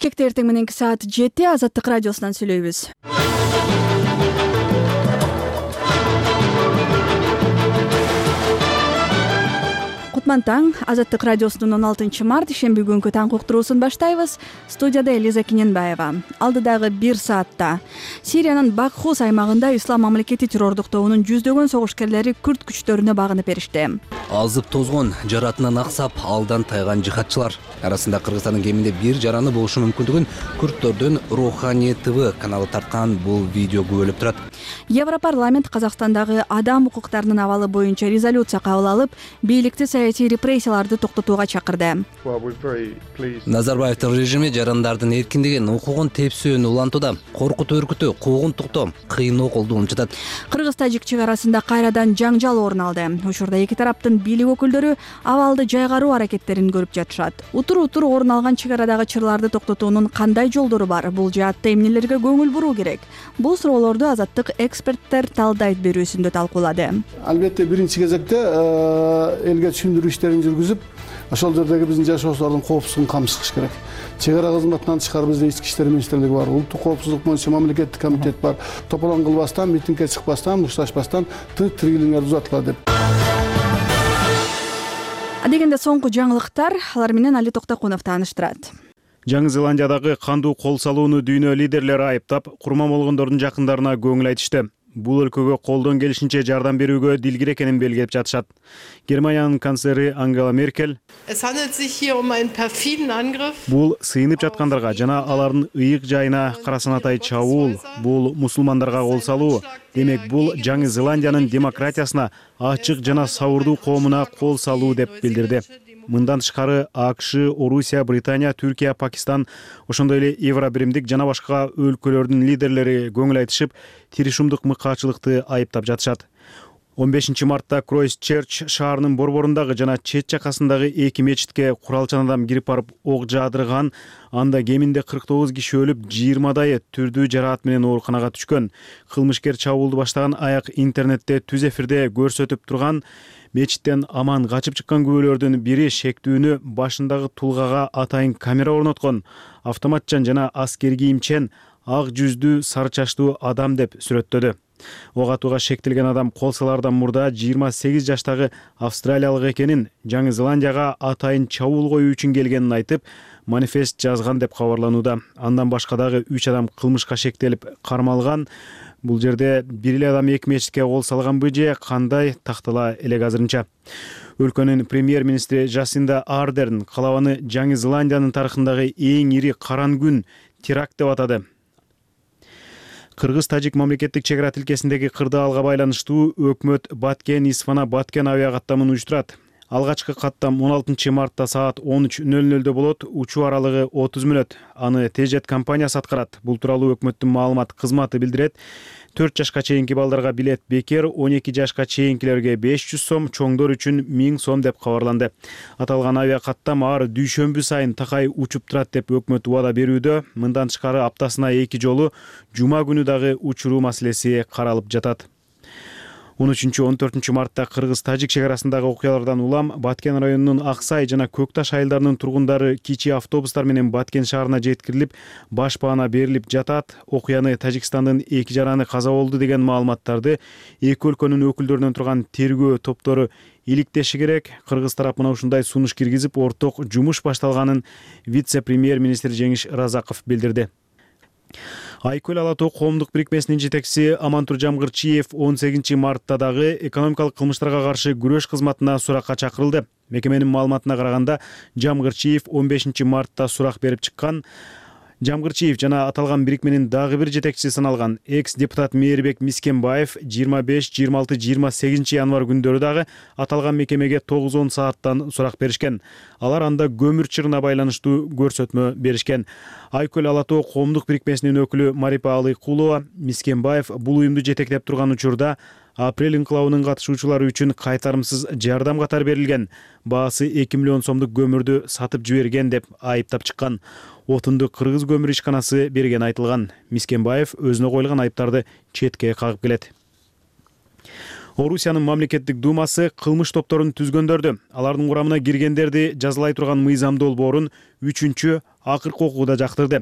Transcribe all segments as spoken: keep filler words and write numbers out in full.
Кекте эртең мененки саат жети Азаттык радиосунан сүйлөйбүз. Кутман таң. Азаттык радиосунун он алтынчы март ишемби күнкү таң уктуруусун баштайбыз. Студияда Элиза Киненбаева. Алдыдагы бир саатта Сириянын Бакхус аймагында Ислам мамлекети террордук тобунун жүздөгөн согушкерлери күрд күчтөрүнө багынып беришти. Азып тозгон, жаратынан аксап, алдан тайган жихадчылар арасында Кыргызстандын кеминде бир жараны болушу мүмкүндүгүн Күрдтөрдүн Руханий ТВ каналы тарткан бул видео күбөлөп турат. Европарламент Казакстандагы адам укуктарынын абалы боюнча резолюция кабыл алып, бийликти саясий репрессияларды токтотууга чакырды. Назарбаевдин режими жарандардын эркиндигин, укугун тепсөөнү улантууда. Коркутуу өркүтүү, куугунтуктоо, кыйноо колдонуп жатат. Кыргыз-тажик чек арасында кайрадан жаңжал орун алды. Учурда эки тараптын бийлик өкүлдөрү абалды жайгаруу аракеттерин көрүп жатышат. Утур-утур орун алган чек арадагы чырларды токтотуунун кандай жолдору бар? Бул жаатта эмнелерге көңүл буруу керек? Бул суроолорду Азаттык эксперттер талдайт берүүсүндө талкуулады. Албетте биринчи кезекте элге түшүндүрүү иштерин жүргүзүп, ошол жердеги биздин жашоочулардын коопсуздугун камсыз керек. Чек ара кызматынан тышкары бизде ички иштер министрлиги бар, улуттук коопсуздук боюнча мамлекеттик комитет бар. Тополоң кылбастан, митингге чыкпастан, мушташпастан тынч-тирүүлүгүңөр узатыла деп. Адегенде соңку жаңылыктар, алар менен Али Токтокунов тааныштырат. Жаңы Зеландиядагы кандуу кол салууну дүйнө лидерлери айыптап, курман болгондордун жакындарына көңүл айтышты. Бул өлкөгө колдон келишинче жардам берүүгө дилгир экенин белгилеп жатышат. Германиянын канцлери Ангела Меркель бул сыйынып жаткандарга жана алардын ыйык жайына карасанатай чабуул, бул мусулмандарга кол салуу. Демек, бул Жаңы Зеландиянын демократиясына, ачык жана сабырдуу коомуна кол салуу деп билдирди. Мындан тышкары АКШ, Орусия, Британия, Түркия, Пакистан, ошондой эле Евробиримдик жана башка өлкөлөрдүн лидерлери көңүл айтышып, тиришумдук мыкаачылыкты айыптап жатышат. он бешинчи мартта Кройстчерч шаарынын борборундагы жана чет жакасындагы эки мечитке куралчан адам кирип барып ок жаадырган, анда кеминде кырк тогуз киши өлүп, жыйырмадайы түрдүү жараат менен ооруканага түшкөн. Кылмышкер чабуулду баштаган аяк интернетте түз эфирде көрсөтүп турган. Мечиттен аман качып чыккан күбөлөрдүн бири шектүүнү башындагы тулгага атайын камера орноткон, автоматчан жана аскер кийимчен, ак жүздүү, сары чачтуу адам деп сүрөттөдү. Ок атууга шектелген адам кол салаардан мурда жыйырма сегиз жаштагы австралиялык экенин, Жаңы Зеландияга атайын чабуул коюу үчүн келгенин айтып, манифест жазган деп кабарланууда. Андан башка дагы үч адам кылмышка шектелип кармалган. Бул жерде бир эле адам эки мечитке кол салганбы же кандай тактала элек азырынча. Өлкөнүн премьер-министри Жасинда Ардерн калабаны Жаңы Зеландиянын тарыхындагы эң ири каран күн теракт деп атады. Кыргыз-тажик мамлекеттик чек ара тилкесиндеги кырдаалга байланыштуу өкмөт Баткен Исфана Баткен авиа каттамын уюштурат. Алгачкы каттам он алтынчы мартта саат он үч нөл нөлдө болот, учуу аралыгы отуз мүнөт. Аны Тежет компаниясы аткарат. Бул тууралуу өкмөттүн маалымат кызматы билдирет. төрт жашка чейинки балдарга билет бекер, он эки жашка чейинкилерге беш жүз сом, чоңдор үчүн миң сом деп кабарланды. Аталган авиа каттам ар дүйшөмбү сайын такай учуп турат деп өкмөт убада берүүдө. Мындан тышкары аптасына эки жолу жума күнү дагы учуруу маселеси каралып жатат. он үчүнчү он төртүнчү мартта Кыргыз-тажик чек арасындагы окуялардан улам Баткен районунун Аксай жана Көкташ айылдарынын тургундары кичи автобустар менен Баткен шаарына жеткирилип, баш баана берилип жатат. Окуяны Тажикстандын эки жараны каза болду деген маалыматтарды эки өлкөнүн өкүлдөрүнөн турган тергөө топтору иликтеши керек. Кыргыз тарап мына ушундай сунуш киргизип, орток жумуш башталганын вице-премьер-министр Жеңиш Разаков билдирди. Айкөл Ала Тоо коомдук бирикмесинин жетекчиси Амантур Жамгырчиев он сегизинчи мартта дагы экономикалык кылмыштарга каршы күрөш кызматына суракка чакырылды. Мекеменин маалыматына караганда, Жамгырчиев он бешинчи мартта сурак берип чыккан. Жамгырчиев жана аталган бирикменин дагы бир жетекчиси саналган экс-депутат Мээрбек Мискенбаев жыйырма беш, жыйырма алты, жыйырма сегизинчи январь күндөрү дагы аталган мекемеге тогуз он сааттан сурак беришкен. Алар анда көмүр чырына байланыштуу көрсөтмө беришкен. Айкөл Ала Тоо коомдук бирикмесинин өкүлү Марипа Алыкулова Мискенбаев бул уюмду жетектеп турган учурда апрель инкылабынын катышуучулары үчүн кайтарымсыз жардам катары берилген, баасы эки миллион сомдук көмүрдү сатып жиберген деп айыптап чыккан. Отунду Кыргыз көмүр ишканасы берген айтылган. Мискенбаев өзүнө коюлган айыптарды четке кагып келет. Орусиянын мамлекеттик думасы кылмыш топторун түзгөндөрдү, алардын курамына киргендерди жазалай турган мыйзам долбоорун үчүнчү акыркы окууда жактырды.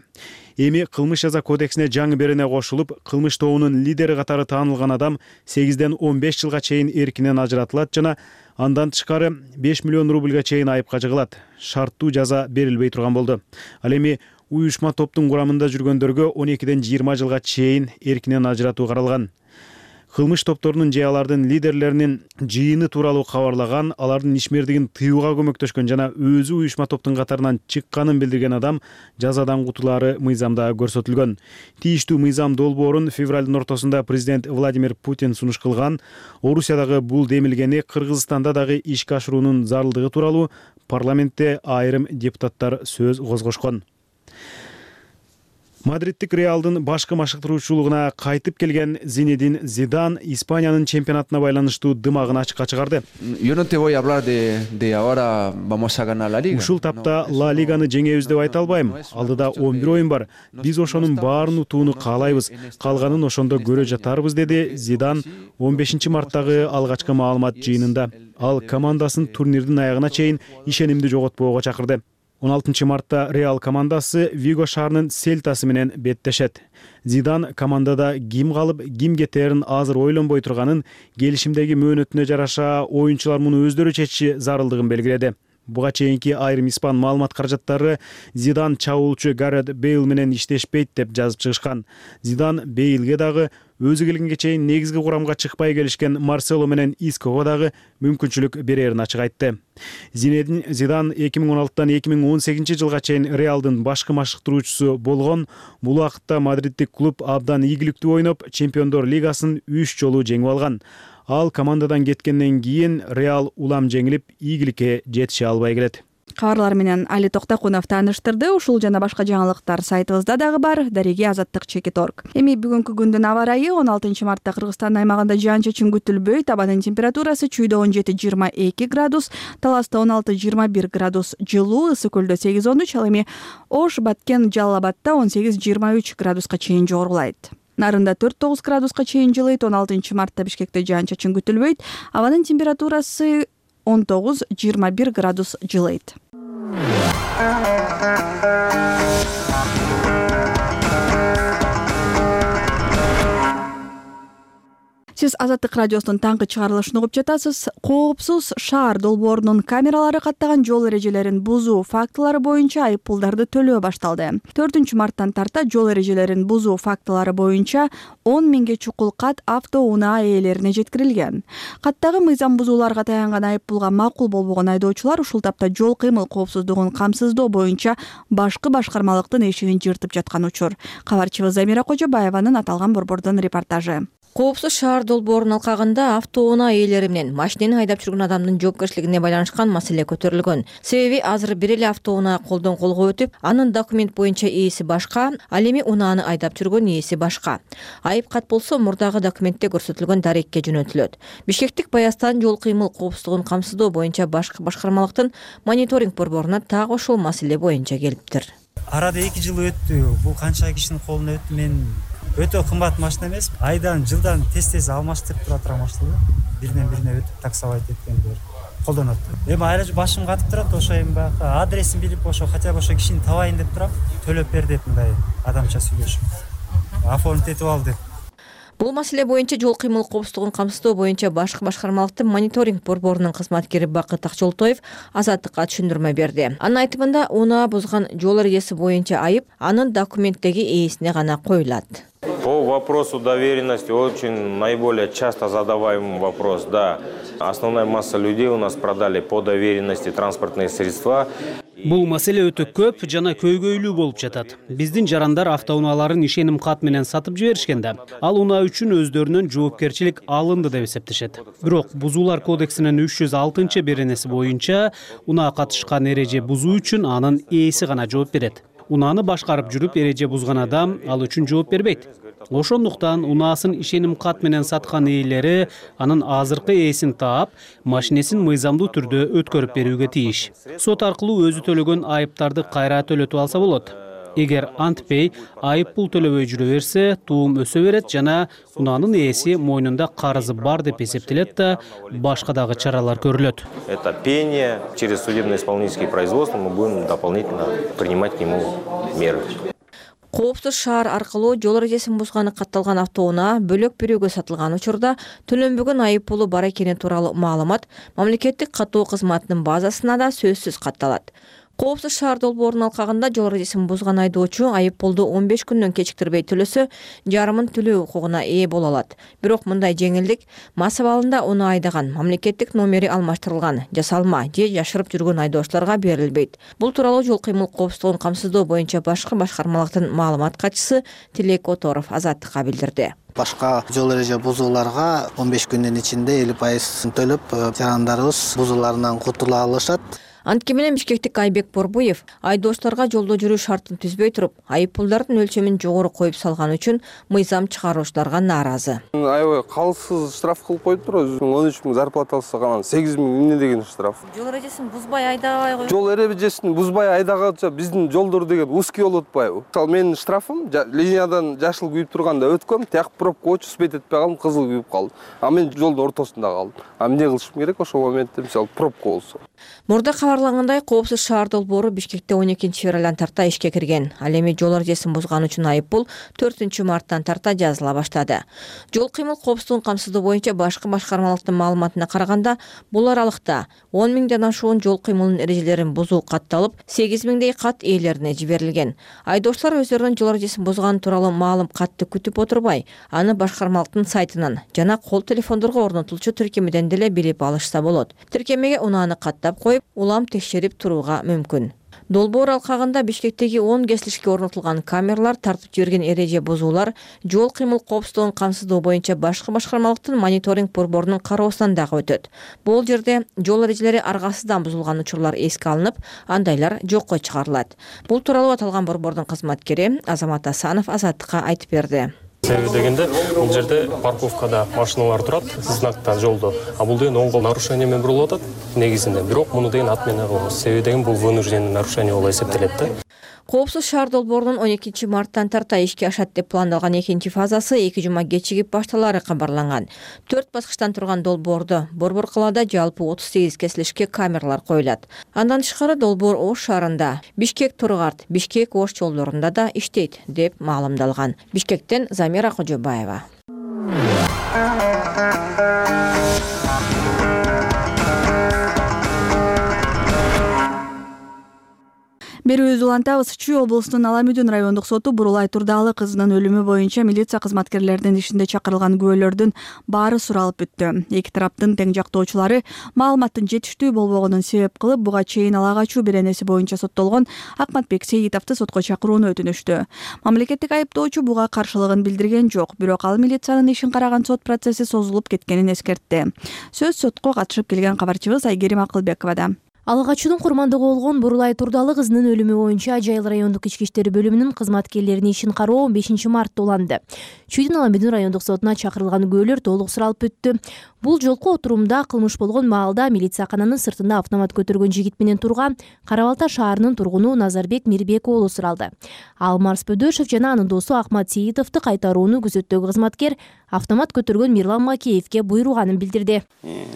Эми кылмыш жаза кодексине жаңы берене кошулуп, кылмыш тобунун лидери катары таанылган адам сегизден он беш жылга чейин эркинен ажыратылат жана андан тышкары беш миллион рубльга чейин айыпка жыгылат. Шарттуу жаза берилбей турган болду. Ал эми уюшма топтун курамында жүргөндөргө он экиден жыйырма жылга чейин эркинен ажыратуу каралган. Кылмыш топторунун же алардын лидерлеринин жыйыны тууралуу кабарлаган, алардын ишмердигин тыюуга көмөктөшкөн жана өзү уюшма топтун катарынан чыкканын билдирген адам жазадан кутулаары мыйзамда көрсөтүлгөн. Тийиштүү мыйзам долбоорун февралдын ортосунда президент Владимир Путин сунуш кылган. Орусиядагы бул демилгени Кыргызстанда дагы ишке ашыруунун зарылдыгы тууралуу парламентте айрым депутаттар сөз козгошкон. Мадридтик Реалдын башкы машыктыруучулугуна кайтып келген Зинедин Зидан Испаниянын чемпионатына байланыштуу дымагын ачыкка чыгарды. Ушул тапта Ла Лиганы жеңебиз деп айта албайм. Алдыда он бир оюн бар. Биз ошонун баарын утууну каалайбыз. Калганын ошондо көрө жатарбыз, деди Зидан он бешинчи марттагы алгачкы маалымат жыйынында. Ал командасын турнирдин аягына чейин ишенимди жоготпоого чакырды. он алтынчы мартта Реал командасы Виго шаарынын Сельтасы менен беттешет. Зидан командада ким калып, ким кетерин азыр ойлонбой турганын, келишимдеги мөөнөтүнө жараша оюнчулар муну өздөрү чечиши зарылдыгын белгиледи. Буга чейинки айрым испан маалымат каражаттары Зидан чабуулчу Гарет Бейл менен иштешпейт деп жазып чыгышкан. Зидан Бейлге дагы өзү келгенге чейин негизги курамга чыкпай келишкен Марсело менен Иского дагы мүмкүнчүлүк берерин ачык айтты. Зинедин Зидан эки миң он алтыдан эки миң он сегизинчи жылга чейин Реалдын башкы машыктыруучусу болгон. Бул убакытта мадридтик клуб абдан ийгиликтүү ойноп, Чемпиондор лигасын үч жолу жеңип алган. Ал командадан кеткенден кийин Реал улам жеңилип, ийгиликке жетише албай келет. Кабарлар менен Али Токтакунов тааныштырды. Ушул жана башка жаңылыктар сайтыбызда дагы бар. Дареги азаттык чекит точка орг. Эми бүгүнкү күндүн аба ырайы он алтынчы мартта Кыргызстан аймагында жаан-чачын күтүлбөйт. Абанын температурасы чүйдө он жети жыйырма эки градус, Таласта он алты жыйырма бир градус жылуу, Ысык көлдө сегиз он үч, ал эми Ош, Баткен, Жалал Абадта он сегиз жыйырма үч градуска чейин жогорулайт. Нарында төрт тогуз градуска чейин жылыйт. он алтынчы мартта Бишкекте жаан-чачын күтүлбөйт. Абанын температурасы он тогуз жыйырма бир градус жылыйт. Сиз Азаттык радиосунун таңкы чыгарылышын угуп жатасыз. Коопсуз шаар долбоорунун камералары каттаган жол эрежелерин бузуу фактылары боюнча айып пулдарды төлөө башталды. төртүнчү марттан тарта жол эрежелерин бузуу фактылары боюнча он миңге чукул кат автоунаа ээлерине жеткирилген. Каттагы мыйзам бузууларга таянган айып пулга макул болбогон айдоочулар ушул тапта жол кыймыл коопсуздугун камсыздоо боюнча башкы башкармалыктын эшигин жыртып жаткан учур. Кабарчыбыз Замира Кожобаеванын аталган борбордун репортажы. Коопсуз шаар долбоорунун алкагында автоунаа ээлери менен машинени айдап жүргөн адамдын жоопкерчилигине байланышкан маселе көтөрүлгөн. Себеби азыр бир эле автоунаа колдон колго өтүп, анын документ боюнча ээси башка, ал эми унааны айдап жүргөн ээси башка. Айып кат болсо мурдагы документте көрсөтүлгөн дарекке жөнөтүлөт. Бишкектик Баястан жол кыймыл коопсуздугун камсыздоо боюнча башкы башкармалыктын мониторинг борборуна так ошол маселе боюнча келиптир. Арада эки жыл өттү. Бул канча кишинин колуна өттү. Мен өтө кымбат машина эмес. Айдан жылдан тез-тез алмаштырып тура турган машина. Биринен бирине өтүп таксовать эткендер колдонот. Эми айла башым катып турат, ошо эми баягы адресин билип, ошо хотя бы ошо кишини табайын деп турам. Төлөп бер деп мындай адамча сүйлөшүп. Оформить этип ал деп. Бул маселе боюнча жол кыймыл коопсуздугун камсыздоо боюнча башкы башкармалыктын мониторинг борборунун кызматкери Бакыт Акчолтоев Азаттыкка түшүндүрмө берди. Анын айтымында унаа бузган жол эрежеси боюнча айып анын документтеги ээсине гана коюлат. По вопросу доверенности очень наиболее часто задаваемый вопрос. Да, основная масса людей у нас продали по доверенности транспортные средства. Бул маселе өтө көп жана көйгөйлүү болуп жатат. Биздин жарандар автоунааларын ишеним кат менен сатып жиберишкенде, ал унаа үчүн өздөрүнөн жоопкерчилик алынды деп эсептешет. Бирок Бузуулар кодексинин үч жүз алтынчы беренеси боюнча унаа катышкан эреже бузуу үчүн анын ээси гана жооп берет. Унааны башкарып жүрүп эреже бузган адам ал үчүн жооп бербейт. Ошондуктан унаасын ишеним кат менен саткан ээлери анын азыркы ээсин таап, машинесин мыйзамдуу түрдө өткөрүп берүүгө тийиш. Сот аркылуу өзү төлөгөн айыптарды кайра төлөтүп алса болот. Эгер антпей, айып пул төлөбөй жүрө берсе, туум өсө берет жана унаанын ээси мойнунда карызы бар деп эсептелет да башка дагы чаралар көрүлөт. Это пение, через судебно-исполнительские производства мы будем дополнительно принимать к нему меры. Коопсуз шаар аркылуу жол эрежесин бузганы катталган автоунаа бөлөк бирөөгө сатылган учурда төлөнбөгөн айып пулу бар экени тууралуу маалымат мамлекеттик каттоо кызматынын базасына да сөзсүз катталат. Коопсуз шаар долбоорунун алкагында жол эрежесин бузган айдоочу айып пулду он беш күндөн кечиктирбей төлөсө, жарымын төлөө укугуна ээ боло алат. Бирок мындай жеңилдик мас абалында уну айдаган, мамлекеттик номери алмаштырылган, жасалма же жашырып жүргөн айдоочуларга берилбейт. Бул тууралуу жол кыймыл коопсуздугун камсыздоо боюнча башкы башкармалыктын маалымат катчысы Тилек Оторов Азаттыкка билдирди. Башка жол эреже бузууларга он беш күндүн ичинде элүү пайызын төлөп, жарандарыбыз бузууларынан кутула алышат. Антке менен Бишкектик Айбек Борбуев айдоочуларга жолдо жүрүү шартын түзбөй туруп, айып пулдардын өлчөмүн жогору коюп салган үчүн мыйзам чыгаруучуларга нааразы. Аябай калсыз штраф кылып коюп туруп, он үч миң зарплата алса анан сегиз миң эмне деген штраф. Жол эрежесин бузбай айдабай коюп. Жол эрежесин бузбай айдаганча биздин жолдор деген узкий болуп атпайбы? Мисалы менин штрафым линиядан жашыл күйүп турганда өткөм, тияк пробка өчүп спейт этпей калдым, кызыл күйүп калдым. А мен жолдун ортосунда калдым. А эмне кылышым керек ошол моментте, мисалы пробка болсо? Мурда кабарлангандай, Коопсуз шаар долбоору Бишкекте он экинчи февралдан тарта ишке кирген. Ал эми жол эрежесин бузган үчүн айып пул төртүнчү марттан тарта жазыла баштады. Жол кыймыл коопсуздугун камсыздоо боюнча башкы башкармалыктын маалыматына караганда, бул аралыкта он миңден ашуун жол кыймылынын эрежелерин бузуу катталып, сегиз миңдей кат ээлерине жиберилген. Айдоочулар өздөрүнүн жол эрежесин бузганы тууралуу маалым катты күтүп отурбай, аны башкармалыктын сайтынан жана кол телефондорго орнотулчу тиркемеден деле билип алышса болот. Тиркемеге унааны каттап коюп, улам текшерип турууга мүмкүн. Долбоор алкагында Бишкектеги он кесилишке орнотулган камералар тартып жиберген эреже бузуулар жол кыймыл коопсуздугун камсыздоо боюнча башкы башкармалыктын мониторинг борборунун кароосунан дагы өтөт. Бул жерде жол эрежелери аргасыздан бузулган учурлар эске алынып, андайлар жокко чыгарылат. Бул тууралуу аталган борбордун кызматкери Азамат Асанов Азаттыкка айтып берди. Себеби дегенде бул жерде парковкада машиналар турат, знакта жолдо. А бул деген оң кол нарушение менен бурулуп атат негизинде. Бирок муну деген от менен кылабыз. Себеби деген бул вынужденный нарушение болуп эсептелет да. Коопсуз шаар долбоорунун он экинчи марттан тарта ишке ашат деп пландалган экинчи фазасы эки жума кечигип башталары кабарланган. төрт баскычтан турган долбоордо борбор калаада жалпы отуз сегиз кесилишке камералар коюлат. Андан тышкары долбоор Ош шаарында, Бишкек Тургарт, Бишкек Ош жолдорунда да иштейт деп маалымдалган. Бишкектен Замира Кожобаева. Берүүбүздү улантабыз. Чүй облусунун Аламүдүн райондук соту Бурулай Турдалы кызынын өлүмү боюнча милиция кызматкерлеринин ишинде чакырылган күбөлөрдүн баары суралып бүттү. Эки тараптын тең жактоочулары маалыматтын жетиштүү болбогонун себеп кылып, буга чейин ала качуу беренеси боюнча соттолгон Акматбек Сейитовду сотко чакырууну өтүнүштү. Мамлекеттик айыптоочу буга каршылыгын билдирген жок, бирок ал милициянын ишин караган сот процесси созулуп кеткенин эскертти. Сөз сотко катышып келген кабарчыбыз Айгерим Акылбековада. Ала качуунун курмандыгы болгон Бурулай Турдалы кызынын өлүмү боюнча Жайыл райондук ички иштер бөлүмүнүн кызматкерлеринин ишин кароо он бешинчи мартта уланды. Чүйдүн Аламүдүн райондук сотуна чакырылган күбөлөр толук суралып бүттү. Бул жолку отурумда кылмыш болгон маалда милициякананын сыртында автомат көтөргөн жигит менен турган Кара Балта шаарынын тургуну Назарбек Мирбек уулу суралды. Ал Марс Бөдөшев жана анын досу Ахмат Сейитовду кайтарууну күзөттөгү кызматкер автомат көтөргөн Мирлан Макеевке буйруганын билдирди.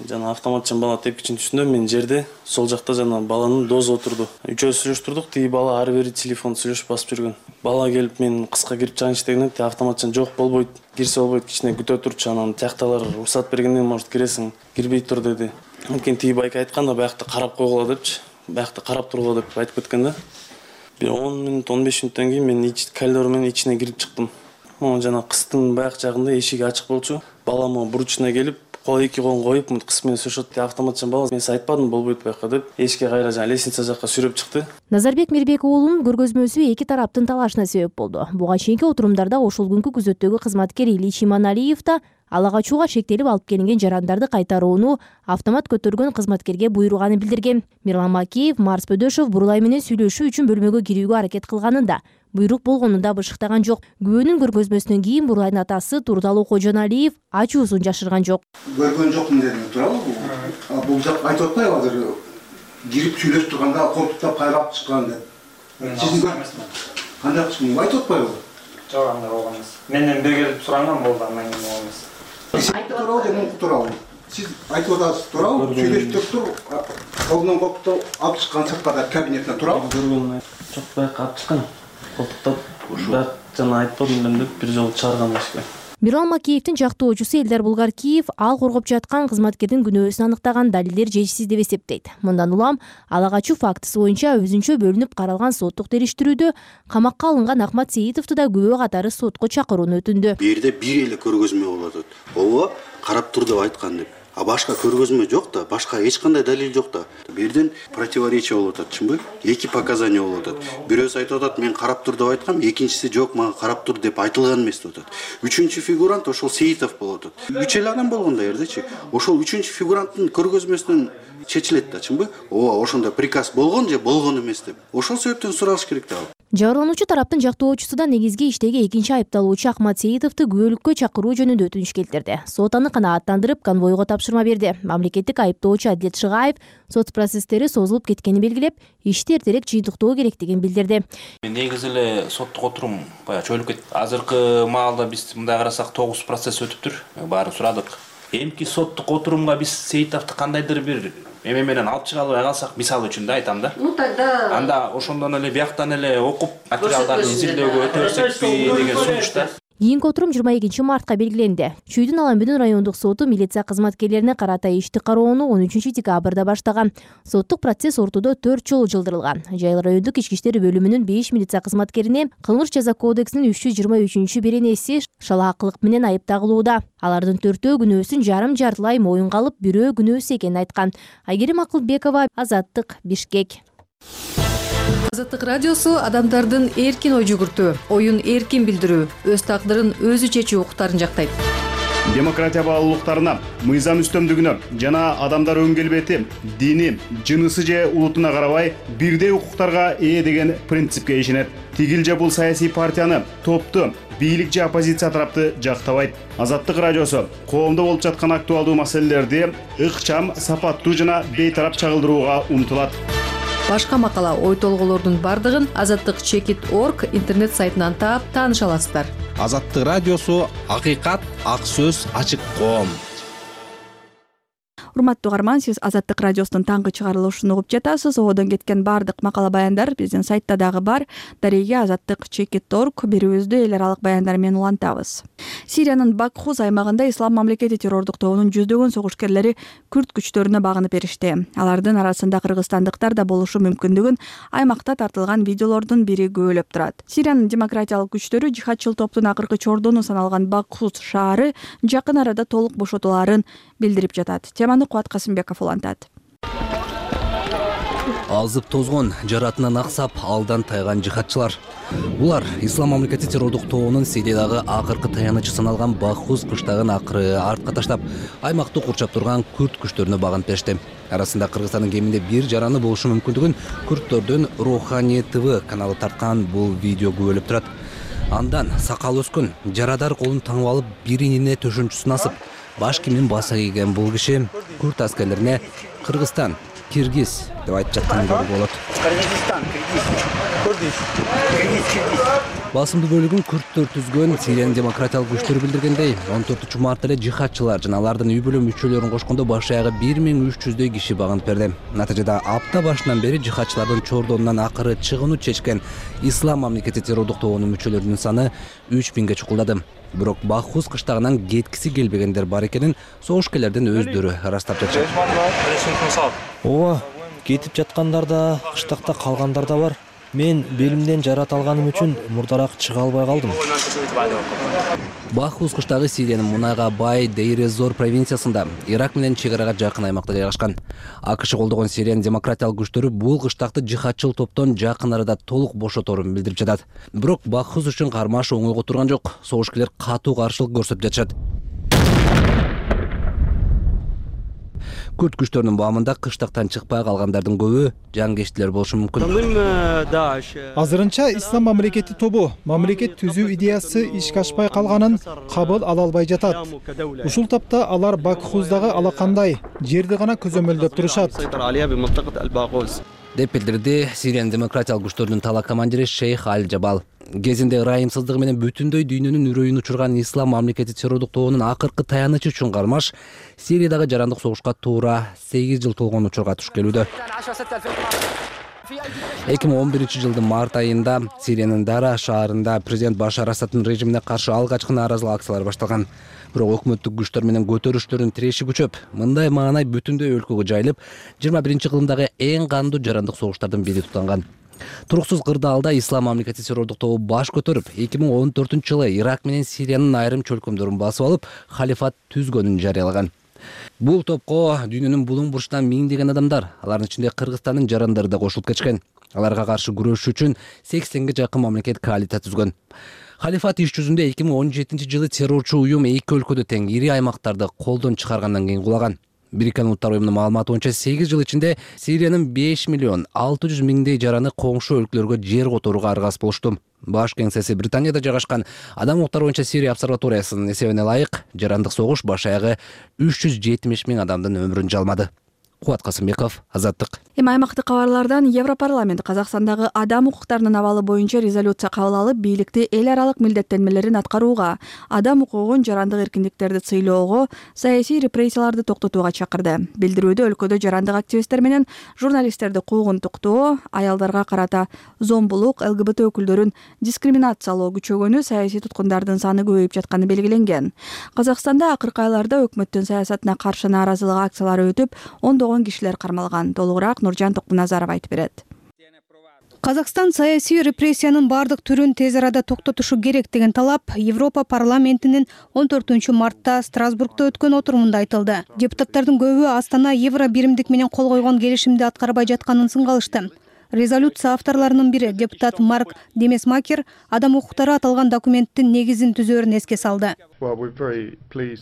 Жана автоматчан бала тепкичин түшүндө мен жерде сол жакта жана баланын дозу отурду. Үчөөбүз сүйлөштүрдүк, тиги бала ары бери телефон сүйлөшүп басып жүргөн. Бала келип мен кыска кирип чыгайынчы дегенде автоматчан жок болбойт, кирсе болбойт, кичине күтө турчу, анан тиякталар уруксат бергенден может киресиң, кирбей тур деди. Анткени тиги байка айтканда биякта карап койгула депчи, биякта карап тургула деп айтып кеткен да. Бир он мүнөт он беш мүнөттөн кийин мен коридор менен ичине кирип чыктым. Могу жана кыстын баяк жагында эшиги ачык болчу. Бала могу бурчуна келип, кол эки колун коюп, мынтип кыз менен сүйлөшөт. Автоматчан бала мен сиз айтпадым болбойт бияка деп, эшикке кайра жана лестница жакка сүйрөп чыкты. Назарбек Мирбек уулунун көргөзмөсү эки тараптын талашына себеп болду. Буга чейинки отурумдарда ошол күнкү күзөттөгү кызматкер Ильич Иманалиев да ала качууга шектелип алып келинген жарандарды кайтарууну автомат көтөргөн кызматкерге буйруганын билдирген. Мирлан Макеев Марс Бөдөшев Бурулай менен сүйлөшүү үчүн бөлмөгө кирүүгө аракет кылганында буйрук болгонун да бышыктаган жок. Күбөнүн көргөзмөсүнөн кийин Бурулайдын атасы Турдалы Кожоналиев ачуусун жашырган жок. Көргөн жокмун дедим, туурабы бул? Бул жак айтып атпайбы азыр кирип сүйлөшүп турганда колтуктап кайрап чыккан деп. Сиздин кандай кылышым айтып атпайбы? Жок, андай болгон эмес. Менден бир келип суранган болду, андан кийин болгон эмес. Туурабы же мунку туурабы? Сиз айтып атасыз туурабы? Сүйлөшүп туруп, колунан копту алып чыккан сырткада кабинеттен туурабы? Көргөнүн жок, байка алып чыккан. Колтуктап, бирок жана айтпадым элем деп бир жолу чыгарган эшикке. Мирон Макеевдин жактоочусу Элдар Булгаркиев ал коргоп жаткан кызматкердин күнөөсүн аныктаган далилдер жетишсиз деп эсептейт. Мындан улам ала качуу фактысы боюнча өзүнчө бөлүнүп каралган соттук териштирүүдө камакка алынган Ахмат Сейитовду да күбө катары сотко чакырууну өтүндү. Бу жерде бир эле көргөзмө болот. Ооба, карап тур деп айткан деп. А башка көргөзмө жок да, башка эч кандай далил жок да. Бу жерден противоречие болуп атат, чынбы? Эки показания болуп атат. Бирөөсү айтып атат, мен карап тур деп айткам, экинчиси жок, мага карап тур деп айтылган эмес деп атат. Үчүнчү фигурант ошол Сейитов болуп атат. Үч эле адам болгон да жердечи. Ошол үчүнчү фигуранттын көргөзмөсүнөн чечилет да, чынбы? Ооба, ошондо приказ болгон же болгон эмес деп. Ошол себептен суралыш керек да. Жабырлануучу тараптын жактоочусу да негизги иштеги экинчи айыпталуучу Ахмат Сейитовду күбөлүккө чакыруу жөнүндө өтүнүч келтирди. Сот аны канааттандырып, конвойго тапшырма берди. Мамлекеттик айыптоочу Адилет Шыгаев сот процесстери созулуп кеткенин белгилеп, ишти эртерээк жыйынтыктоо керектигин билдирди. Негизи эле соттук отурум баягы чөйүлүп кетти. Азыркы маалда биз мындай карасак тогуз процесс өтүптүр. Баарын сурадык. Эмки соттук отурумга биз Сейитовду кандайдыр бир эме менен алып чыга албай калсак, мисалы үчүн да айтам да. Ну тогда анда ошондон эле бияктан эле окуп материалдарды изилдөөгө өтө берсекпи деген сунуш да. Кийинки отурум жыйырма экинчи мартка белгиленди. Чүйдүн Аламбүдүн райондук соту милиция кызматкерлерине карата ишти кароону он үчүнчү декабрда баштаган. Соттук процесс ортодо төрт жолу жылдырылган. Жайыл райондук ички иштер бөлүмүнүн беш милиция кызматкерине кылмыш жаза кодексинин үч жүз жыйырма үчүнчү беренеси шалаакылык менен айып тагылууда. Алардын төртөө күнөөсүн жарым жартылай моюнга алып, бирөө күнөөсүз экенин айткан. Айгерим Акылбекова, Азаттык, Бишкек. Азаттык радиосу адамдардын эркин ой жүгүртүү, оюн эркин билдирүү, өз тагдырын өзү чечүү укуктарын жактайт. Демократия баалуулуктарына, мыйзам үстөмдүгүнө жана адамдар өң келбети, дини, жынысы же улутуна карабай бирдей укуктарга ээ деген принципке ишенет. Тигил же бул саясий партияны, топту, бийлик же оппозиция тарапты жактабайт. Азаттык радиосу коомдо болуп жаткан актуалдуу маселелерди ыкчам, сапаттуу жана бейтарап чагылдырууга умтулат. Башка макала, ой толголордун бардыгын азаттык чекит точка орг интернет сайтынан таап тааныша аласыздар. Азаттык радиосу акыйкат, ак сөз, ачык коом. Урматтуу угарман, сиз Азаттык радиосунун таңкы чыгарылышын угуп жатасыз. Одон кеткен бардык макала баяндар биздин сайтта дагы бар. Дареге азаттык чекит точка орг берүүбүздү эл аралык баяндар менен улантабыз. Сириянын Бакхуз аймагында Ислам мамлекети террордук тобунун жүздөгөн согушкерлери күрд күчтөрүнө багынып беришти. Алардын арасында кыргызстандыктар да болушу мүмкүндүгүн аймакта тартылган видеолордун бири күбөлөп турат. Сириянын демократиялык күчтөрү жихадчыл топтун акыркы чордону саналган Бакхуз шаары жакын арада толук бошотуларын билдирип жатат. Теманы Кубат Касымбеков улантат. Азып тозгон, жаратынан аксап, алдан тайган жихадчылар. Булар Ислам мамлекети террордук тобунун Сириядагы акыркы таянычы саналган Бахуз кыштагын акыры артка таштап, аймакты курчап турган күрд күчтөрүнө багынып беришти. Арасында Кыргызстандын кеминде бир жараны болушу мүмкүндүгүн Күрдтөрдүн Рухани ТВ каналы тарткан бул видео күбөлөп турат. Андан сакал өскөн, жарадар колун таңып алып, биринине төшөнчүсүн асып, баш кийимин баса кийген бул киши күрд аскерлерине Кыргызстан, Киргиз деп айтып жатканын көрүүгө болот. Кыргызстан, Киргиз, Кыргыз, Басымдуу бөлүгүн күрдтөр түзгөн Сириянын демократиялык күчтөрү билдиргендей, он төртүнчү мартта эле жихадчылар жана алардын үй бүлө мүчөлөрүн кошкондо баш аягы бир миң үч жүздөй киши багынып берди. Натыйжада апта башынан бери жихадчылардын чордонунан акыры чыгууну чечкен Ислам мамлекети террордук тобунун мүчөлөрүнүн саны үч миңге чукулдады. Бирок Бахуз кыштагынан кеткиси келбегендер бар экенин согушкерлердин өздөрү ырастап жатышат. Ооба, кетип жаткандар да, кыштакта калгандар да бар. Мен белимден жарат алганым үчүн мурдараак чыга албай калдым. Бахуз кыштагы Сириянын мунайга бай Дейр-эз-Зор провинциясында, Ирак менен чек арага жакын аймакта жайгашкан. АКШ колдогон Сириянын демократиялык күчтөрү бул кыштакты жихадчыл топтон жакын арада толук бошоторун билдирип жатат. Бирок Бахуз үчүн кармаш оңойго турган жок. Согушкерлер катуу каршылык көрсөтүп жатышат. Күрд күчтөрүнүн баамында кыштактан чыкпай калгандардын көбү жангештилер болушу мүмкүн. Азырынча Ислам мамлекети тобу мамлекет түзүү идеясы ишке ашпай калганын кабыл ала албай жатат. Ушул тапта алар Бакхуздагы алакандай жерди гана көзөмөлдөп турушат. деп билдирди Сириянын демократиялык күчтөрүнүн тала командири Шейх Аль Жабал. Кезинде ырайымсыздыгы менен бүтүндөй дүйнөнүн үрөйүн учурган ислам мамлекети террордук тобунун акыркы таянычы үчүн кармаш Сириядагы жарандык согушка туура сегиз жыл толгон учурга туш келүүдө. эки миң он биринчи жылдын март айында Сириянын Дара шаарында президент Башар Асаддын режимине каршы алгачкы нааразылык акциялары башталган. Бирок өкмөттүк күчтөр менен көтөрүштөрдүн тиреши күчөп, мындай маанай бүтүндөй өлкөгө жайылып, жыйырма биринчи кылымдагы эң кандуу жарандык согуштардын бири тутанган. Туруксуз кырдаалда ислам мамлекети террордук тобу баш көтөрүп, эки миң он төртүнчү жылы Ирак менен Сириянын айрым чөлкөмдөрүн басып алып, халифат түзгөнүн жарыялаган. Бул топко дүйнөнүн булуң бурчунан миңдеген адамдар, алардын ичинде Кыргызстандын жарандары да кошулуп кетишкен. Аларга каршы күрөшүү үчүн сексенге жакын мамлекет коалиция түзгөн. Халифат иш жүзүндө эки миң он жетинчи жылы террорчу уюм эки өлкөдө тең ири аймактарды колдон чыгаргандан кийин кулаган. Бириккен Улуттар уюмунун маалыматы боюнча сегиз жыл ичинде Сириянын беш миллион алты жүз миңдей жараны коңшу өлкөлөргө жер которууга аргасыз болушту. Баш кеңсеси Британияда жайгашкан Адам укуктары боюнча Сирия обсерваториясынын эсебине ылайык, жарандык согуш баш аягы үч жүз жетимиш миң адамдын өмүрүн жалмады. Кубат Касымбеков, Азаттык. Эми аймактык кабарлардан Европарламент Казакстандагы адам укуктарынын абалы боюнча резолюция кабыл алып, бийликти эл аралык милдеттенмелерин аткарууга, адам укугун, жарандык эркиндиктерди сыйлоого, саясий репрессияларды токтотууга чакырды. Билдирүүдө өлкөдө жарандык активисттер менен журналисттерди куугунтуктоо, аялдарга карата зомбулук, ЛГБТ өкүлдөрүн дискриминациялоо күчөгөнү, саясий туткундардын саны көбөйүп жатканы белгиленген. Казакстанда акыркы айларда өкмөттүн саясатына каршы нааразылык акциялары өтүп, ондогон кишилер кармалган. Толугураак Нуржан Токуназаров айтып берет. Казакстан саясий репрессиянын бардык түрүн тез арада токтотушу керек деген талап Европа парламентинин он төртүнчү мартта Страсбургда өткөн отурумунда айтылды. Депутаттардын көбү Астана Евро биримдик менен кол койгон келишимди аткарбай жатканын сынгалышты. Резолюция авторлорунун бири депутат Марк Демесмакер адам укуктары аталган документтин негизин түзөөрүн эске салды.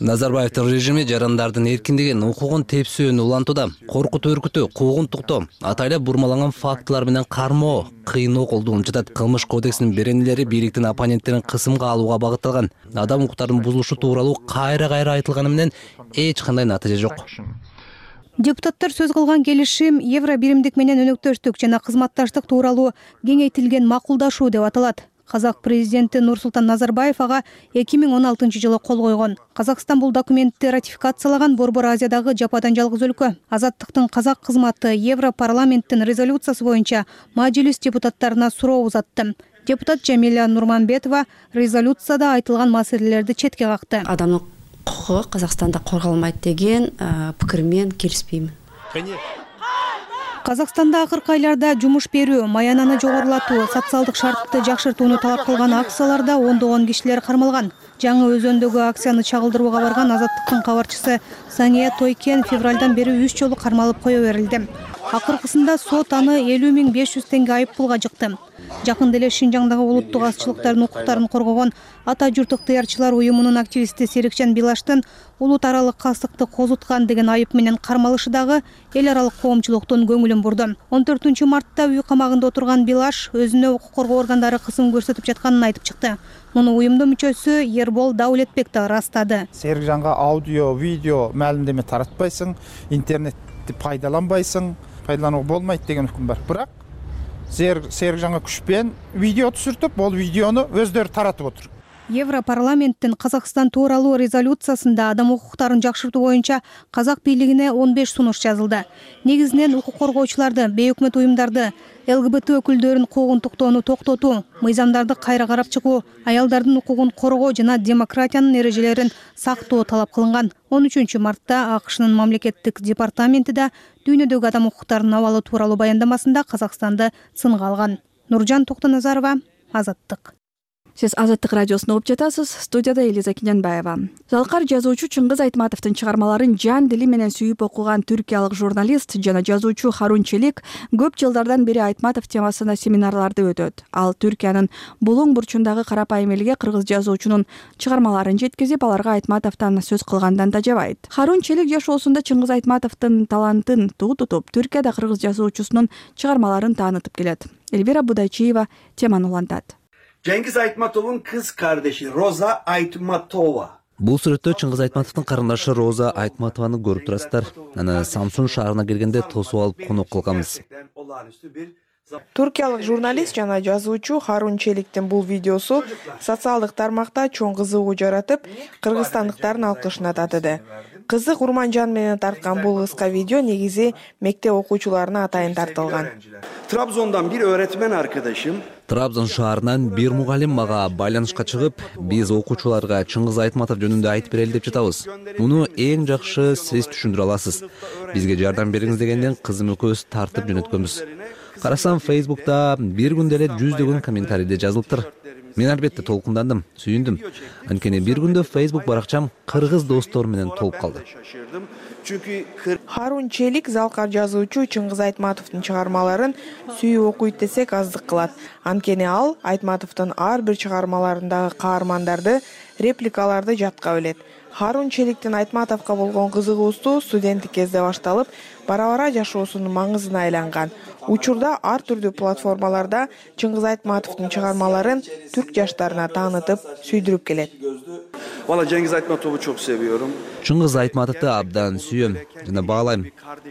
Назарбаевдин режими жарандардын эркиндигин, укугун тепсөөнү улантууда. Коркутуу өркүтүү, куугунтуктоо, атайлап бурмаланган фактылар менен кармоо, кыйноо колдонуп жатат. Кылмыш кодексинин беренелери бийликтин оппоненттерин кысымга алууга багытталган. Адам укуктарынын бузулушу тууралуу кайра-кайра айтылганы менен эч кандай натыйжа жок. Депутаттар сөз кылган келишим Евро биримдик менен өнөктөштүк жана кызматташтык тууралуу кеңейтилген макулдашуу деп аталат. Казак президенти Нурсултан Назарбаев ага эки миң он алтынчы жылы кол койгон. Казакстан бул документти ратификациялаган Борбор Азиядагы жападан жалгыз өлкө. Азаттыктын казак кызматы Евро парламенттин резолюциясы боюнча мажлис депутаттарына суроо узатты. Депутат Жамиля Нурманбетова резолюцияда айтылган маселелерди четке какты. Адамдын укугу Казакстанда корголмайт деген пикирмен келишпеймин. Казакстанда акыркы айларда жумуш берүү, маянаны жогорулатуу, социалдык шартты жакшыртууну талап кылган акцияларда ондогон кишилер кармалган. Жаңы Өзөндөгү акцияны чагылдырууга барган Азаттыктын кабарчысы Сания Тойкен февралдан бери үч жолу кармалып кое берилди. Акыркысында сот аны элүү миң беш жүз теңге айып пулга жыкты. Жакында эле Шинжаңдагы улуттук азчылыктардын укуктарын коргогон Ата журт ыктыярчылар уюмунун активисти Серикжан Билаштын улут аралык кастыкты козуткан деген айып менен кармалышы дагы эл аралык коомчулуктун көңүлүн бурду. он төртүнчү мартта үй камагында отурган Билаш өзүнө укук коргоо органдары кысым көрсөтүп жатканын айтып чыкты. Муну уюмдун мүчөсү Ербол Даулетбек да ырастады. Серикжанга аудио, видео маалимдеме таратпайсың, интернетти пайдаланбайсың, пайдаланууга болмойт деген өкүм бар. Бирок Серикжанга күчпен видео түшүртүп, бул видеону өздөрү таратып отур. Европарламенттин Казакстан тууралуу резолюциясында адам укуктарын жакшыртуу боюнча казак бийлигине он беш сунуш жазылды. Негизинен укук коргоочуларды, бейөкмөт уюмдарды, ЛГБТ өкүлдөрүн куугунтуктоону токтотуу, мыйзамдарды кайра карап чыгуу, аялдардын укугун коргоо жана демократиянын эрежелерин сактоо талап кылынган. он үчүнчү мартта АКШнын мамлекеттик департаменти да дүйнөдөгү адам укуктарынын абалы тууралуу баяндамасында Казакстанды сынга алган. Нуржан Токуназарова, Азаттык. Сиз Азаттык радиосун угуп жатасыз. Студияда Элиза Киненбаева. Залкар жазуучу Чыңгыз Айтматовдун чыгармаларын жан дили менен сүйүп окуган түркиялык журналист жана жазуучу Харун Челик көп жылдардан бери Айтматов темасына семинарларды өтөт. Ал Түркиянын булуң бурчундагы карапайым элге кыргыз жазуучунун чыгармаларын жеткизип, аларга Айтматовдон сөз кылгандан да жабайт. Харун Челик жашоосунда Чыңгыз Айтматовдун талантын туу тутуп, Түркияда кыргыз жазуучусунун чыгармаларын таанытып келет. Эльвира Будайчиева теманы улантат. Cengiz Aytmatov'un kız kardeşi Roza Aytmatova Бул сүрөттө Чыңгыз Айтматовдун карындашы Роза Айтматованы көрүп турасыздар. Аны Самсун шаарына келгенде тосуп алып конок кылганбыз. Туркиялык журналист жана жазуучу Харун Челиктин бул видеосу социалдык тармакта чоң кызыгуу жаратып, кыргызстандыктардын алкышына татыды. Кызы Курманжан менен тарткан бул кыска видео негизи мектеп окуучуларына атайын тартылган. Trabzon'dan bir öğretmen arkadaşım Трабзон шаарынан бир мугалим мага байланышка чыгып, биз окуучуларга Чыңгыз Айтматов жөнүндө айтып берели деп жатабыз. Муну эң жакшы сиз түшүндүрө аласыз. Бизге жардам бериңиз дегенден кызым экөөбүз тартып жөнөткөнбүз. Карасам Facebook'та бир күндө эле жүздөгөн комментарийде жазылыптыр. Мен албетте толкундандым, сүйүндүм. Анткени бир күндө Facebook баракчам кыргыз достор менен толуп калды. Харун Челик залкар жазуучу Чыңгыз Айтматовдун чыгармаларын сүйүп окуйт десек аздык кылат. Анткени ал Айтматовдун ар бир чыгармаларындагы каармандарды, репликаларды жатка билет. Харун Челиктин Айтматовго болгон кызыгуусу студенттик кезде башталып, бара-бара жашоосунун маңызына айланган. Учурда ар түрдүү платформаларда Чыңгыз Айтматовдун чыгармаларын түрк жаштарына таанытып, сүйдүрүп келет. Valla Cengiz Aytmatov'u çok seviyorum. Чыңгыз Айтматовду абдан сүйөм жана баалайм.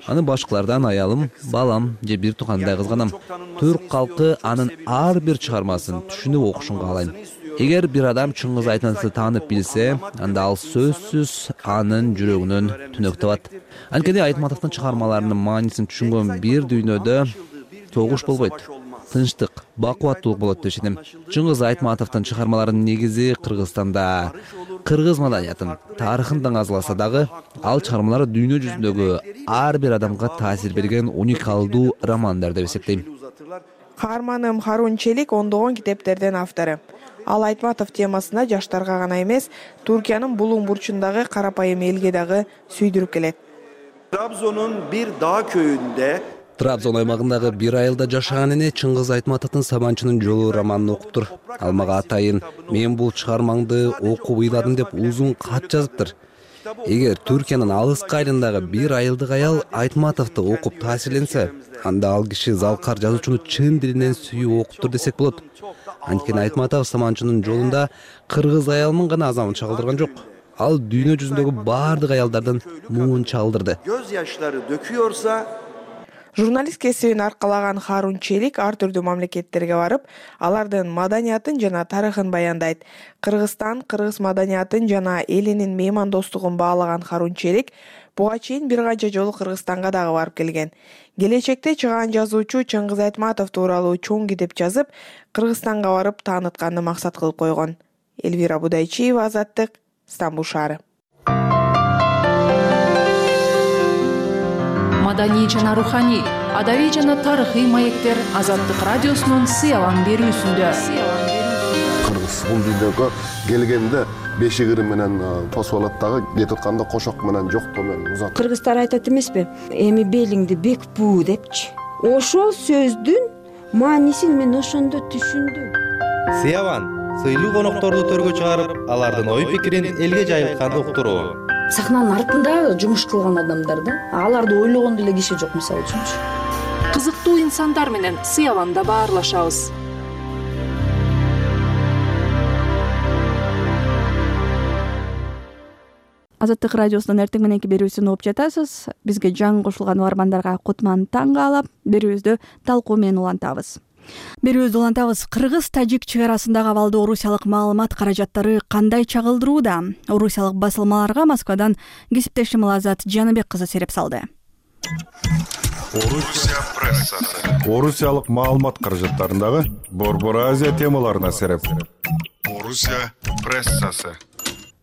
Аны башкалардан аялым, балам же бир туугандай кызганам. Түрк калкы анын ар бир чыгармасын түшүнүп окушун каалайм. Эгер бир адам Чыңгыз Айтматовду таанып билсе, анда ал сөзсүз анын жүрөгүнөн түнөк табат. Анткени Айтматовдун чыгармаларынын маанисин түшүнгөн бир дүйнөдө согуш болбойт. Тынчтык, бакубаттуулук болот деп ишенем. Чыңгыз Айтматовдун чыгармаларынын негизи Кыргызстанда кыргыз маданиятын, тарыхын даңазаласа дагы, ал чыгармалары дүйнө жүзүндөгү ар бир адамга таасир берген уникалдуу романдар деп эсептейм. Каарманым Харун Челик ондогон китептердин автору. Ал Айтматов темасына жаштарга гана эмес, Туркиянын булуң бурчундагы карапайым элге дагы сүйдүрүп келет. Trabzon'un bir dağ köyünde Трабзон аймагындагы бир айылда жашаган эне Чыңгыз Айтматовдун Сабанчынын жолу романын окуптур. Ал мага атайын мен бул чыгармаңды окуп ыйладым деп узун кат жазыптыр. Эгер Түркиянын алыскы айылындагы бир айылдык аял Айтматовду окуп таасирленсе, анда ал киши залкар жазуучуну чын дилинен сүйүп окуптур десек болот. Анткени Айтматов Саманчынын жолунда кыргыз аялынын гана азабын чагылдырган жок. Ал дүйнө жүзүндөгү бардык аялдардын муун чагылдырды. Göz yaşları döküyorsa Журналист кесибин аркалаган Харун Челик ар түрдүү мамлекеттерге барып, алардын маданиятын жана тарыхын баяндайт. Кыргызстан, кыргыз маданиятын жана элинин меймандостугун баалаган Харун Челик буга чейин бир канча жолу Кыргызстанга дагы барып келген. Келечекте чыгаан жазуучу Чыңгыз Айтматов тууралуу чоң китеп жазып, Кыргызстанга барып таанытканды максат кылып койгон. Элвира Будайчиева, Азаттык, Стамбул шаары. Маданий жана руханий, адабий жана тарыхый маектер Азаттык радиосунун сыялан берүүсүндө. Кыргыз бул дүйнөгө келгенде бешик ыры менен тосуп алат дагы, кетип атканда кошок менен жоктоо менен узат. Кыргыздар айтат эмеспи? Эми белиңди бек буу депчи. Ошол сөздүн маанисин мен ошондо түшүндүм. Сыялан сыйлуу конокторду төргө чыгарып, алардын ой пикирин элге жайылтканды уктуруу. Сахнанын артында жумуш кылган адамдар да, аларды ойлогон деле киши жок мисалы үчүнчү. Кызыктуу инсандар менен сыяланда баарлашабыз. Азаттык радиосунун эртең мененки берүүсүн угуп жатасыз. Бизге жаңы кошулган угармандарга кутман таң каалап, берүүбүздү талкуу менен улантабыз. Берүүбүздү улантабыз. Кыргыз-тажик чек арасындагы абалды орусиялык маалымат каражаттары кандай чагылдырууда? Орусиялык басылмаларга Москвадан кесиптешим Азат Жаныбек кызы сереп салды. Орусия прессасы. Орусиялык маалымат каражаттарындагы Борбор Азия темаларына сереп. Орусия прессасы.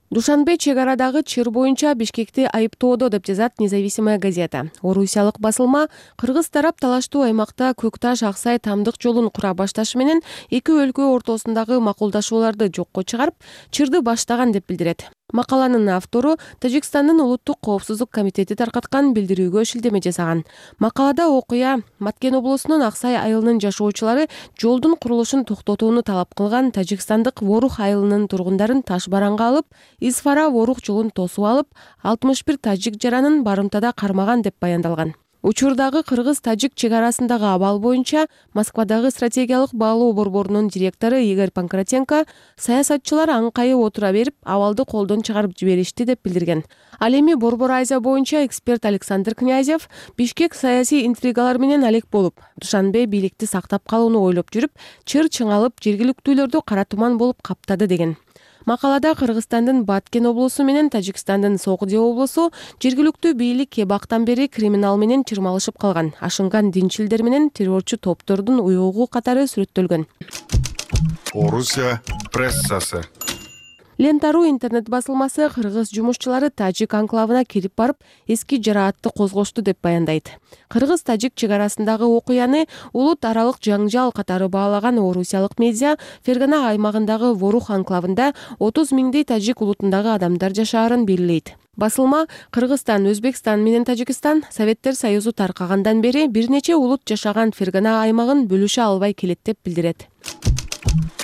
Душанбе чек арадагы чыр боюнча Бишкекти айыптоодо деп жазат Независимая газета. Орусиялык басылма кыргыз тарап талаштуу аймакта Көкташ Аксай тамдык жолун кура башташы менен эки өлкө ортосундагы макулдашууларды жокко чыгарып, чырды баштаган деп билдирет. Макаланын автору Тажикстандын улуттук коопсуздук комитети таркаткан билдирүүгө шилтеме жасаган. Макалада окуя Маткен облусунун Аксай айылынын жашоочулары жолдун курулушун токтотууну талап кылган тажикстандык Ворух айылынын тургундарын таш бараңга алып, Исфара Ворух жолун тосуп алып, алтымыш бир тажик жаранын барымтада кармаган деп баяндалган. Учурдагы кыргыз-тажик чек арасындагы абал боюнча Москвадагы стратегиялык баалоо борборунун директору Игорь Панкратенко саясатчылар аңкайып отура берип, абалды колдон чыгарып жиберишти деп билдирген. Ал эми Борбор Азия боюнча эксперт Александр Князев Бишкек саясий интригалар менен алек болуп, Душанбе бийликти сактап калууну ойлоп жүрүп, чыр чыңалып, жергиликтүүлөрдү кара туман болуп каптады деген. Макалада Кыргызстандын Баткен облусу менен Тажикстандын Согди облусу жергиликтүү бийлик эбактан бери криминал менен чырмалышып калган, ашынган динчилдер менен террорчу топтордун уюгу катары сүрөттөлгөн. Орусия прессасы. Лента.ру интернет басылмасы кыргыз жумушчулары тажик анклавына кирип барып, эски жараатты козгошту деп баяндайт. Кыргыз-тажик чек арасындагы окуяны улут аралык жаңжал катары баалаган орусиялык медиа Фергана аймагындагы Ворух анклавында отуз миңдей тажик улутундагы адамдар жашаарын белгилейт. Басылма Кыргызстан, Өзбекстан менен Тажикстан Советтер Союзу таркагандан бери бир нече улут жашаган Фергана аймагын бөлүшө албай келет деп билдирет.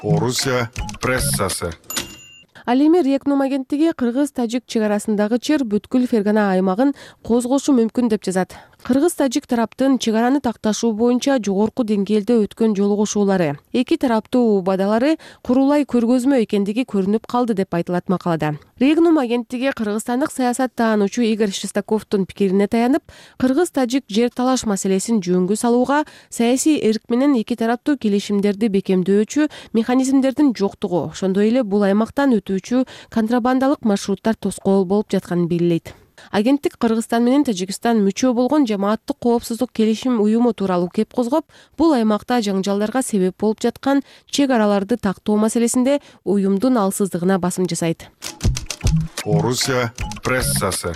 Орусия прессасы. Ал эми Рекнум агенттиги кыргыз-тажик чек арасындагы чыр бүткүл Фергана аймагын козгошу мүмкүн деп жазат. Кыргыз-тажик тараптын чек араны такташуу боюнча жогорку деңгээлде өткөн жолугушуулары, эки тараптуу убадалары курулай көргөзмө экендиги көрүнүп калды деп айтылат макалада. Регнум агенттиги кыргызстандык саясат таануучу Игорь Шестаковдун пикирине таянып, кыргыз-тажик жер талаш маселесин жөнгө салууга саясий эрк менен эки тараптуу келишимдерди бекемдөөчү механизмдердин жоктугу, ошондой эле бул аймактан өтүүчү контрабандалык маршруттар тоскоол болуп жатканын белгилейт. Агенттик Кыргызстан менен Тажикстан мүчө болгон жамааттык коопсуздук келишим уюму тууралуу кеп козгоп, бул аймакта жаңжалдарга себеп болуп жаткан чек араларды тактоо маселесинде уюмдун алсыздыгына басым жасайт. Орусия прессасы.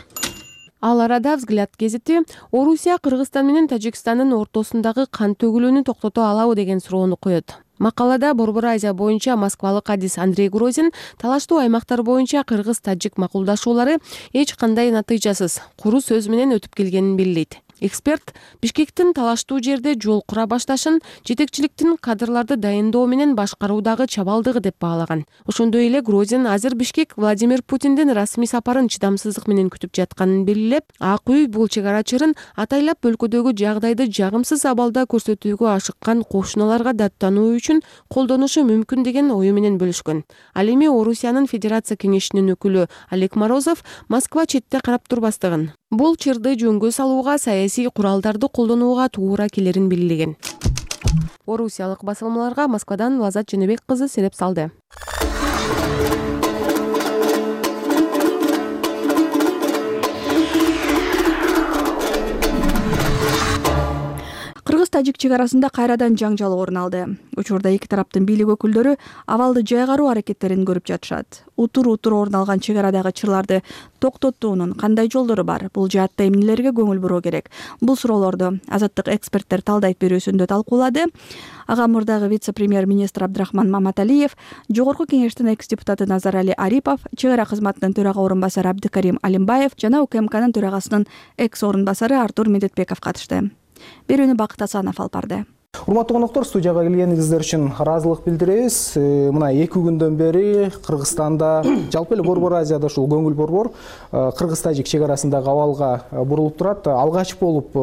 Ал арада Взгляд гезити Орусия Кыргызстан менен Тажикстандын ортосундагы кан төгүлүүнү токтото алабы деген суроону коет. Макалада Борбор Азия боюнча москвалык адис Андрей Грозин талаштуу аймактар боюнча кыргыз-тажик макулдашуулары эч кандай натыйжасыз, куру сөз менен өтүп келгенин белгилейт. Эксперт Бишкектин талаштуу жерде жол кура башташын жетекчиликтин кадрларды дайындоо менен башкаруудагы чабалдыгы деп баалаган. Ошондой эле Грозин азыр Бишкек Владимир Путиндин расмий сапарын чыдамсыздык менен күтүп жатканын белгилеп, Ак үй бул чек ара чырын атайлап өлкөдөгү жагдайды жагымсыз абалда көрсөтүүгө ашыккан кошуналарга даттануу үчүн колдонушу мүмкүн деген ою менен бөлүшкөн. Ал эми Орусиянын Федерация кеңешинин өкүлү Олег Морозов Москва четте карап турбастыгын, бул чырды жөнгө салууга саясий куралдарды колдонууга туура келерин белгилеген. Орусиялык басылмаларга Москвадан Лазат Женебек кызы сереп салды. Кыргыз-тажик чек арасында кайрадан жаңжал орун алды. Учурда эки тараптын бийлик өкүлдөрү абалды жайгаруу аракеттерин көрүп жатышат. Утур-утур орун алган чек арадагы чырларды токтотуунун кандай жолдору бар? Бул жаатта эмнелерге көңүл буруу керек? Бул суроолорду Азаттык эксперттер талдайт берүүсүндө талкуулады. Ага мурдагы вице-премьер-министр Абдрахман Маматалиев, Жогорку кеңештин экс-депутаты Назарали Арипов, чек ара кызматынын төрага орун басары Абдыкарим Алимбаев жана УКМКнын төрагасынын экс-орун басары Артур Медетбеков катышты. Берүүнү Бакыт Асанов алып барды. Урматтуу коноктор, студияга келгениңиздер үчүн ыраазылык билдиребиз. Мына эки күндөн бери Кыргызстанда, жалпы эле Борбор Азияда ушул көңүл борбор кыргыз-тажик чек арасындагы абалга бурулуп турат. Алгач болуп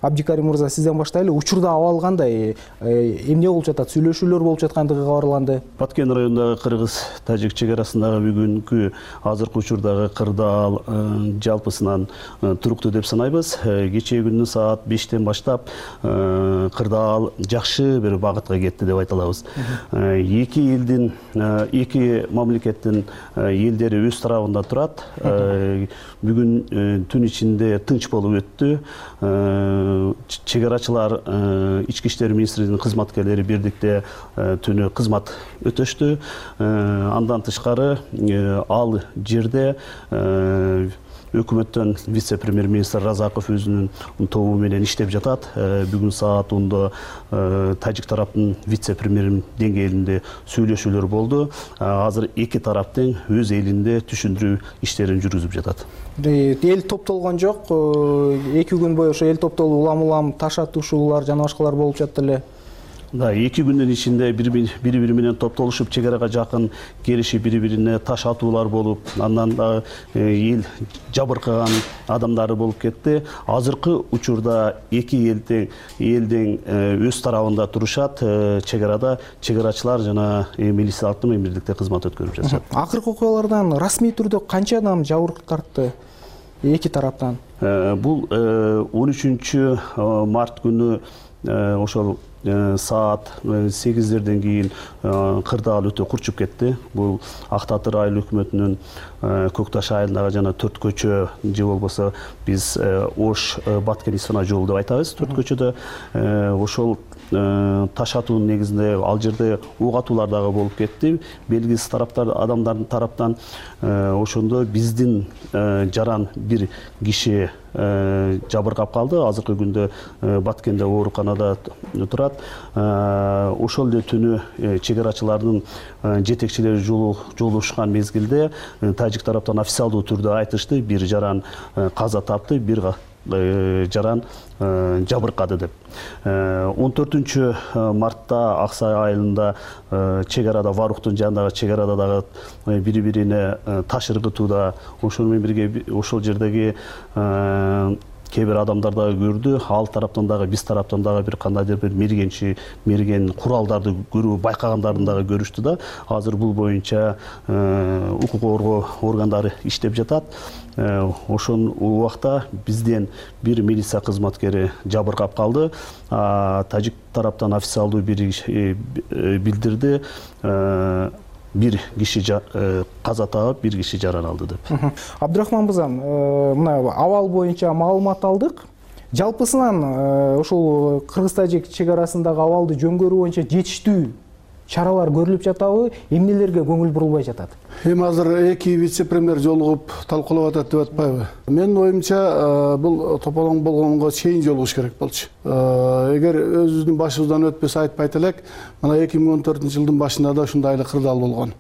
Абдикарим мырза сизден баштайлы. Учурда абал кандай? Эмне болуп жатат? Сүйлөшүүлөр болуп жаткандыгы кабарланды. Баткен районундагы кыргыз-тажик чек арасындагы бүгүнкү азыркы учурдагы кырдаал жалпысынан туруктуу деп санайбыз. Кечээ күнү саат бештен баштап кырдаал жакшы бир багытка кетти деп айта алабыз. Эки элдин, эки мамлекеттин элдери өз тарабында турат. Бүгүн түн ичинде тынч болуп өттү. Чек арачылар, ички иштер министрлигинин кызматкерлери бирдикте түнү кызмат өтөштү. Андан тышкары ал жерде өкмөттөн вице-премьер-министр Разаков өзүнүн тобу менен иштеп жатат. Бүгүн саат онда тажик тараптын вице-премьерин деңгээлинде сүйлөшүүлөр болду. Азыр эки тараптын өз элинде түшүндүрүү иштерин жүргүзүп жатат. Эл топтолгон жок. эки күн бою ошо эл топтолуп улам-улам таш атышуулар жана башкалар болуп жатты эле. Да, эки күндүн ичинде бири бири менен топтолушуп чек арага жакын келишип бири бирине таш атуулар болуп, андан дагы эл жабыркаган адамдары болуп кетти. Азыркы учурда эки элдин элдин өз тарабында турушат. Чек арада чек арачылар жана милициялык бирдикте кызмат өткөрүп жатышат. Акыркы окуялардан расмий түрдө канча адам жабыркап тартты эки тараптан? Бул он үчүнчү март күнү ошол саат сегиздерден кийин кырдаал өтө курчуп кетти. Бул Ак Татыр айыл өкмөтүнүн Көк Таш айылындагы жана төрт көчө же болбосо биз Ош Баткен Исфана жолу деп айтабыз. Төрт көчөдө ошол таш атуунун негизинде ал жерде ок атуулар дагы болуп кетти. Белгисиз тараптар адамдардын тараптан ошондо биздин жаран бир киши жабыркап калды. Азыркы күндө Баткенде ооруканада турат. Ошол эле түнү чек арачылардын жетекчилери жолугушкан мезгилде тажик тараптан официалдуу түрдө айтышты, бир жаран каза тапты, бир жаран жабыркады деп. он төртүнчү мартта Аксай айылында чек арада Варуктун жанындагы чек арада дагы бири бирине таш ыргытууда ошол менен бирге ошол жердеги кээ бир адамдар дагы көрдү. Ал тараптан дагы биз тараптан дагы бир кандайдыр бир мергенчи мерген куралдарды көрүү байкагандарын дагы көрүштү да. Азыр бул боюнча укук коргоо органдары иштеп жатат. Ошол убакта бизден бир милиция кызматкери жабыркап калды. Тажик тараптан официалдуу бир билдирди. Бир киши каза таап, бир киши жаран алды деп. Абдрахман мырза, мына абал боюнча маалымат алдык. Жалпысынан ушул кыргыз-тажик чек арасындагы абалды жөнгөрүү боюнча жетиштүү чаралар көрүлүп жатабы, эмнелерге көңүл бурулбай жатат? Эми азыр эки вице-премьер жолугуп талкуулап атат деп атпайбы? Менин оюмча бул тополоң болгонго чейин жолугуш керек болчу. Эгер өзүбүздүн башыбыздан өтпөсө айтпайт элек, мына эки миң он төртүнчү жылдын башында да ушундай эле кырдаал болгон.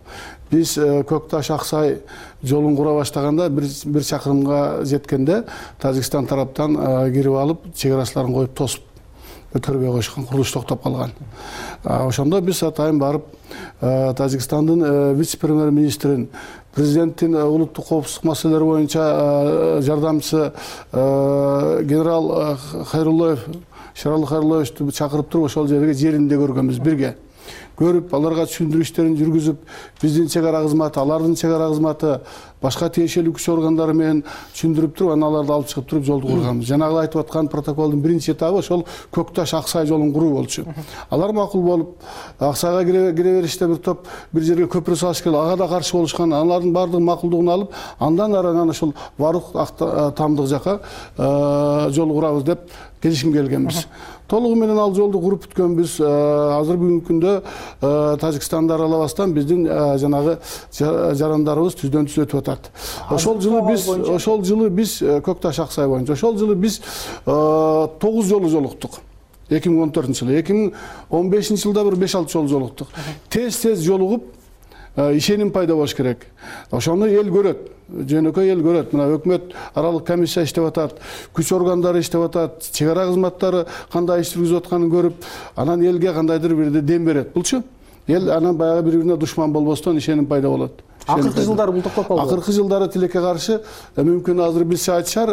Биз Көк Таш Аксай жолун кура баштаганда бир чакырымга жеткенде Тажикстан тараптан кирип алып, чек арачыларын коюп тосуп өткөрбөй коюшкан, курулуш токтоп калган. Ошондо биз атайын барып Тажикстандын вице-премьер министрин, президенттин улуттук коопсуздук маселелери боюнча жардамчысы генерал Хайруллоев, Шаралы Хайруллоевду чакырып туруп ошол жерге жеринде көргөнбүз бирге. Көрүп, аларга түшүндүрүү иштерин жүргүзүп, биздин чек ара кызматы, алардын чек ара кызматы, башка тиешелүү күч органдары менен түшүндүрүп туруп, анан аларды алып чыгып туруп жолду курганбыз. Жанагы айтып аткан протоколдун биринчи этабы ошол Көк Таш Аксай жолун куруу болчу. Алар макул болуп, Аксайга кире бериште бир топ бир жерге көпүрө салыш керек, ага да каршы болушкан, алардын баардыгын макулдугун алып, андан ары анан ошол Варук Тамдык жака жол курабыз деп келишим келгенбиз. Толугу менен ал жолду куруп бүткөнбүз. Азыр бүгүнкү күндө Тажикстанды аралабастан биздин жанагы жарандарыбыз түздөн түз өтүп атат. Ошол жылы биз ошол жылы биз Көк Таш Аксай боюнча ошол жылы биз тогуз жолу жолуктук. эки миң он төртүнчү жылы, эки миң он бешинчи жылда бир беш алты жолу жолуктук. Тез-тез жолугуп ишеним пайда болуш керек. Ошону эл көрөт. Жөнөкөй эл көрөт. Мына өкмөт аралык комиссия иштеп атат, күч органдары иштеп атат, чек ара кызматтары кандай иш жүргүзүп атканын көрүп, анан элге кандайдыр бир дем берет. Булчу эл анан баягы бири-бирине душман болбостон ишеним пайда болот. Акыркы жылдары бул токтоп калды. Акыркы жылдары тилекке каршы мүмкүн азыр билсе айтышар,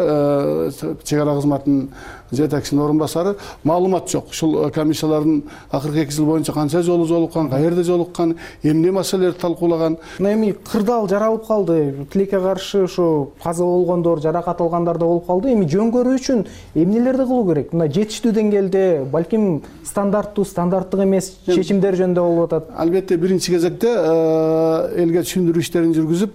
чек ара кызматынын жетекчисинин орун басары маалымат жок. Ушул комиссиялардын акыркы эки жыл боюнча канча жолу жолуккан, каерде жолуккан, эмне маселелерди талкуулаган. Эми кырдаал жаралып калды. Тилекке каршы ушу каза болгондор, жаракат алгандар да болуп калды. Эми жөнгөрүү үчүн эмнелерди кылуу керек? Мына жетиштүү деңгээлде, балким стандарттуу, стандарттык эмес чечимдер жөнүндө болуп атат. Албетте биринчи кезекте элге түшүндүрүү иштерин жүргүзүп,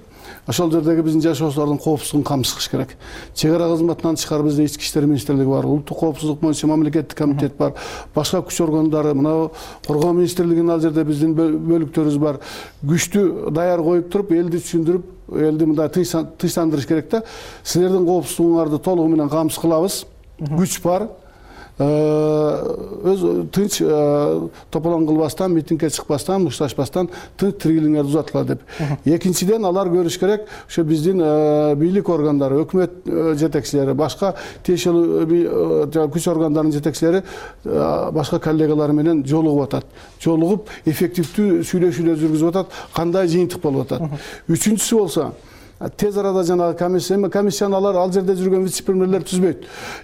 ошол жердеги биздин жашоочулардын коопсуздугун камсыз керек. Чек ара кызматынан тышкары бизде ички иштер министрлиги бар, улуттук коопсуздук боюнча мамлекеттик комитет бар, башка күч органдары, мына коргоо министрлигинин ал жерде биздин бөлүктөрүбүз бар. Күчтү даяр коюп туруп, элди түшүндүрүп, элди мындай тынчтандырыш керек да. Силердин коопсуздугуңарды толугу менен камсыз кылабыз. Күч бар. өз тынч тополоң кылбастан, митингге чыкпастан, мушташпастан тынч тиргилиңерди узаткыла деп. Экинчиден алар көрүш керек, ошо биздин бийлик органдары, өкмөт жетекчилери, башка тиешелүү күч органдарынын жетекчилери башка коллегалары менен жолугуп атат. Жолугуп эффективдүү сүйлөшүүлөр жүргүзүп атат, кандай жыйынтык болуп атат. Үчүнчүсү болсо тез арада жанагы комиссия, комиссияны алар ал жерде жүргөн вице-премьерлер түзбөйт.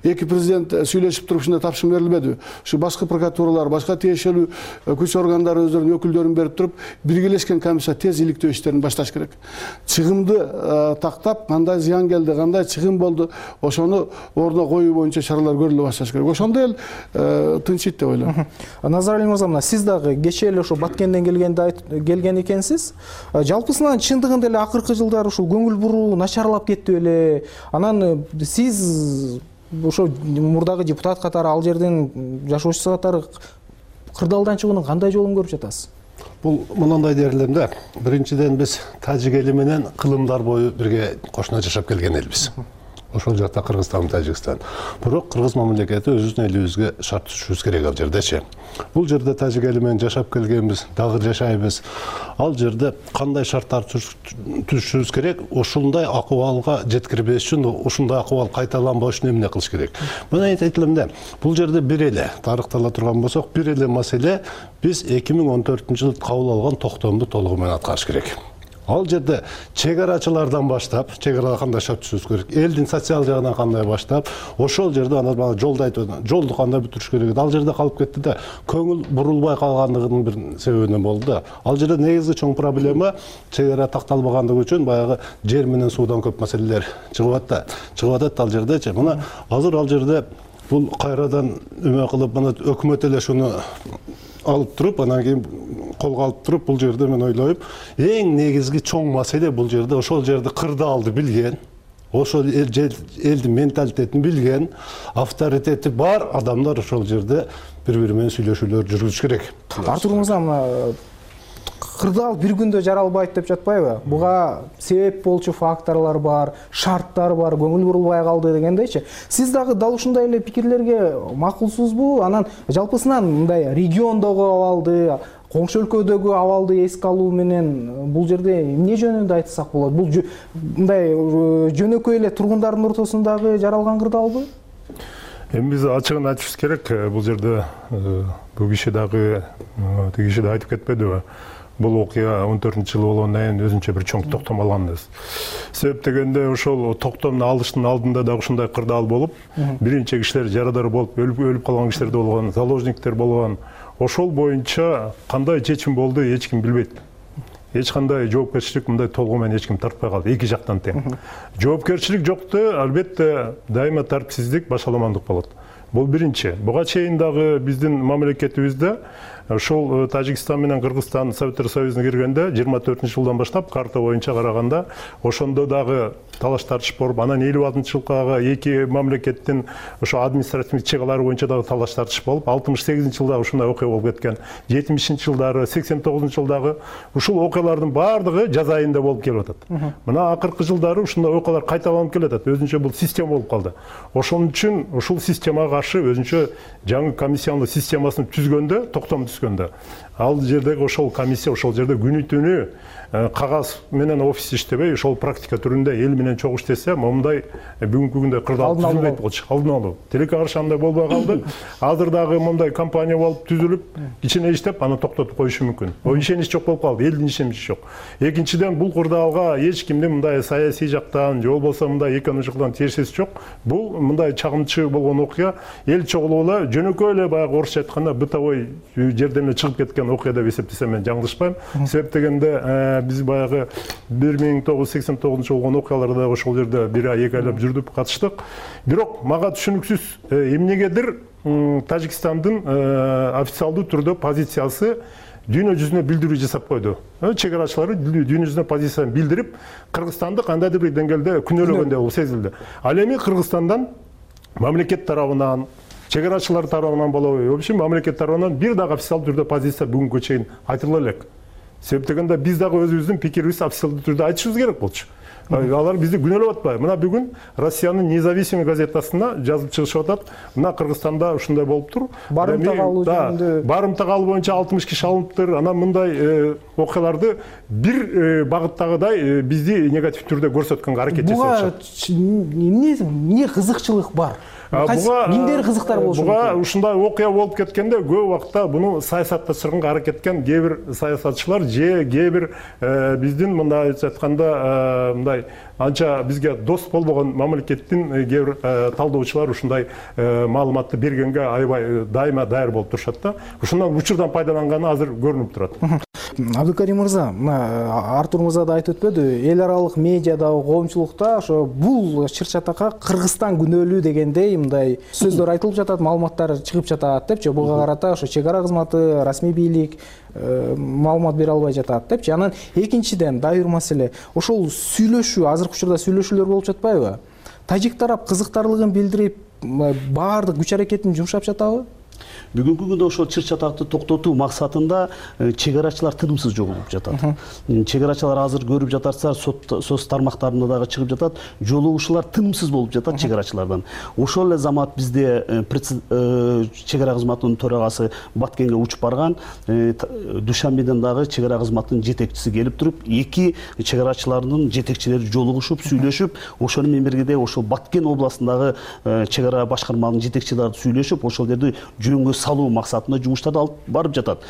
Эки президент сүйлөшүп туруп ушундай тапшырма берилбедиби? Ушу башкы прокуратуралар, башка тиешелүү күч органдары өздөрүнүн өкүлдөрүн берип туруп, биргелешкен комиссия тез иликтөө иштерин башташ керек. Чыгымды тактап, кандай зыян келди, кандай чыгым болду, ошону ордуна коюу боюнча чаралар көрүлө башташ керек. Ошондо эл тынчыйт деп ойлойм. Назарали мырза, мына сиз дагы кечээ эле ошо Баткенден келгенде келген экенсиз. Жалпысынан чындыгында эле акыркы жылдары ушул көңүл буруу начарлап кетти беле? Анан сиз ошо мурдагы депутат катары, ал жердин жашоочусу катары кырдаалдан чыгуунун кандай жолун көрүп жатасыз? Бул мындай дерлем да. Биринчиден биз тажик эли менен кылымдар бою бирге кошуна жашап келген элбиз. Ошол жакта Кыргызстан, Тажикстан. Бирок кыргыз мамлекети өзүбүздүн элибизге шарт түзүшүбүз керек ал жердечи. Бул жерде тажик эли менен жашап келгенбиз, дагы жашайбыз. Ал жерде кандай шарттар түзүшүбүз керек? Ушундай акыбалга жеткирбеш үчүн, ушундай акыбал кайталанбаш үчүн эмне кылыш керек? Мына айтылам да. Бул жерде бир эле тарыхтала турган болсок, бир эле маселе биз эки миң он төртүнчү жылы кабыл алган токтомду толугу менен аткарыш керек. Ал жерде чегарачылардан баштап, чегарада кандай шарт түзүш керек, элдин социал жагынан кандай баштап, ошол жерде ана бана жолду айтып, жолду кандай бүтүрүш керек. Ал жерде калып кетти да, көңүл бурулбай калгандыгынын бир себебинен болду да. Ал жерде негизги чоң проблема чегара такталбагандыгы үчүн баягы жер менен суудан көп маселелер чыгып атат. Чыгып атат ал жердечи. Мына азыр ал жерде бул кайрадан эме кылып, мына өкмөт эле шуну алып туруп, анан кийин колго алып туруп, бул жерде мен ойлойм, эң негизги чоң маселе бул жерде ошол жерде кырдаалды билген, ошол элдин менталитетин билген, авторитети бар адамдар ошол жерде бири-бири менен сүйлөшүүлөр жүргүзүш керек. Артур мырза, мына кырдаал бир күндө жаралбайт деп жатпайбы? Буга себеп болчу факторлор бар, шарттар бар, көңүл бурулбай калды дегендейчи. Сиз дагы дал ушундай эле пикирлерге макулсузбу? Анан жалпысынан мындай региондогу абалды, коңшу өлкөдөгү абалды эске алуу менен бул жерде эмне жөнүндө айтсак болот? Бул мындай жөнөкөй эле тургундардын ортосундагы жаралган кырдаалбы? Эми биз ачыгын айтышыбыз керек. Бул жерде бул киши дагы тиги киши да айтып кетпедиби? Бул окуя он төртүнчү жылы болгондон кийин өзүнчө бир чоң токтом алганбыз. Себеп дегенде ошол токтомду алыштын алдында да ушундай кырдаал болуп, биринчи кишилер жарадар болуп, өлүп өлүп калган кишилер да болгон, заложниктер болгон. Ошол боюнча кандай чечим болду, эч ким билбейт. Эч кандай жоопкерчилик мындай толугу менен эч ким тартпай калды, эки жактан тең. Жоопкерчилик жокто, албетте дайыма тартипсиздик, башаламандык болот. Бул биринчи. Буга чейин дагы биздин мамлекетибизде ошол Тажикстан менен Кыргызстан Советтер Союзуна киргенде жыйырма төртүнчү жылдан баштап карта боюнча караганда ошондо дагы талаш тартыш болуп, анан элүү алтынчы жылгы эки мамлекеттин ошо административдик чегалары боюнча дагы талаш тартыш болуп, алтымыш сегизинчи жылдагы ушундай окуя болуп кеткен. жетимишинчи жылдары, сексен тогузунчу жылдагы ушул окуялардын баардыгы жаз айында болуп келип атат. Мына акыркы жылдары ушундай окуялар кайталанып келе атат. Өзүнчө бул система болуп калды. Ошон үчүн ушул системага каршы өзүнчө жаңы комиссиялык системасын түзгөндө, токтом түзгөндө, ал жердеги ошол комиссия ошол жерде күнү түнү кагаз менен офис иштебей, ошол практика түрүндө эл менен чогуу иштесе, момундай бүгүнкү күндө кырдаал түзүлбөйт болчу. Алдын алуу. Тилекке каршы андай болбой калды. Азыр дагы мындай компания болуп түзүлүп, кичине иштеп, аны токтотуп коюшу мүмкүн. О ишенич жок болуп калды, элдин ишеничи жок. Экинчиден, бул кырдаалга эч кимдин мындай саясий жактан, же болбосо мындай экономик жактан тиешеси жок. Бул мындай чагымчы болгон окуя, эл чогулуп эле жөнөкөй эле баягы орусча айтканда бытовой жерден эле чыгып кеткен окуя деп эсептесем мен жаңылышпайм. Себеп дегенде биз баягы бир миң тогуз жүз сексен тогузунчу жылы болгон окуяларда ошол жерде бир ай эки айлап жүрдүп катыштык. Бирок мага түшүнүксүз эмнегедир Тажикстандын официалдуу түрдө позициясы дүйнө жүзүнө билдирүү жасап койду. Чегарачылары дүйнө жүзүнө позициясын билдирип, Кыргызстанды кандайдыр бир деңгээлде күнөөлөгөндөй болуп сезилди. Ал эми Кыргызстандан мамлекет тарабынан, чегарачылар тарабынан болобу, вообще мамлекет тарабынан бир дагы официалдуу түрдө позиция бүгүнкү чейин айтыла элек. Себеп дегенде биз дагы өзүбүздүн пикирибизди официалдуу түрдө айтышыбыз керек болчу. Алар бизди күнөөлөп атпайбы? Мына бүгүн Россиянын независимый газетасында жазып чыгышып атат. Мына Кыргызстанда ушундай болуптур. Барымтак алуу жөнүндө. Барымтак алуу боюнча алтымыш киши алыныптыр. Анан мындай окуяларды бир багыттагыдай бизди негатив түрдө көрсөткөнгө аракет жасашат. Буга эмне кызыкчылык бар? Кимдер кызыктар болушу мүмкүн? Буга ушундай окуя болуп кеткенде көп убакта буну саясатташырганга аракет эткен кээ бир саясатчылар же кээ бир биздин мындай айтканда мындай анча бизге дос болбогон мамлекеттин кээ бир талдоочулар ушундай маалыматты бергенге аябай дайыма даяр болуп турушат да. Ушундан учурдан пайдаланганы азыр көрүнүп турат. Абдыкарим мырза, мына Артур мырза да айтып өтпөдү, эл аралык медиадагы коомчулукта ошо бул чыр-чатакка Кыргызстан күнөөлүү дегендей мындай сөздөр айтылып жатат, маалыматтар чыгып жатат депчи. Буга карата ошо чек ара кызматы, расмий бийлик маалымат бере албай жатат депчи. Анан экинчиден дайыр маселе, ошол сүйлөшүү, азыркы учурда сүйлөшүүлөр болуп жатпайбы? Тажик тарап кызыктарлыгын билдирип, баардык күч аракетин жумшап жатабы? Бүгүнкү күндө ошол чыр-чатакты токтотуу максатында чек арачылар тынымсыз жолугуп жатат. Чек арачылар азыр көрүп жатарсыздар, соц тармактарында дагы чыгып жатат, жолугушуулар тынымсыз болуп жатат чек арачылардан. Ошол эле замат бизде чек ара кызматынын төрагасы Баткенге учуп барган, Душанбеден дагы чек ара кызматынын жетекчиси келип туруп, эки чек арачылардын жетекчилери жолугушуп, сүйлөшүп, ошону менен бирге ошол Баткен областындагы чек ара башкарманын жетекчилери сүйлөшүп, ошол жерди жөнгө салуу максатында жумуштарды алып барып жатат.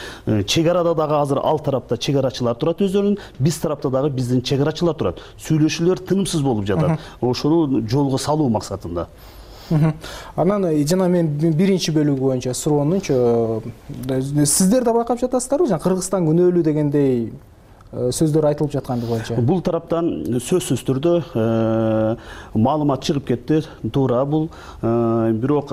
Чек арада дагы азыр ал тарапта чек арачылар турат өздөрүнүн, биз тарапта дагы биздин чек арачылар турат. Сүйлөшүүлөр тынымсыз болуп жатат. Ошону жолго салуу максатында. Анан жана мен биринчи бөлүгү боюнча суроонунчу, сиздер да байкап жатасыздарбы? Жана Кыргызстан күнөөлүү дегендей сөздөр айтылып жатканды боюнча. Бул тараптан сөзсүз түрдө маалымат чыгып кетти, туура бул. Бирок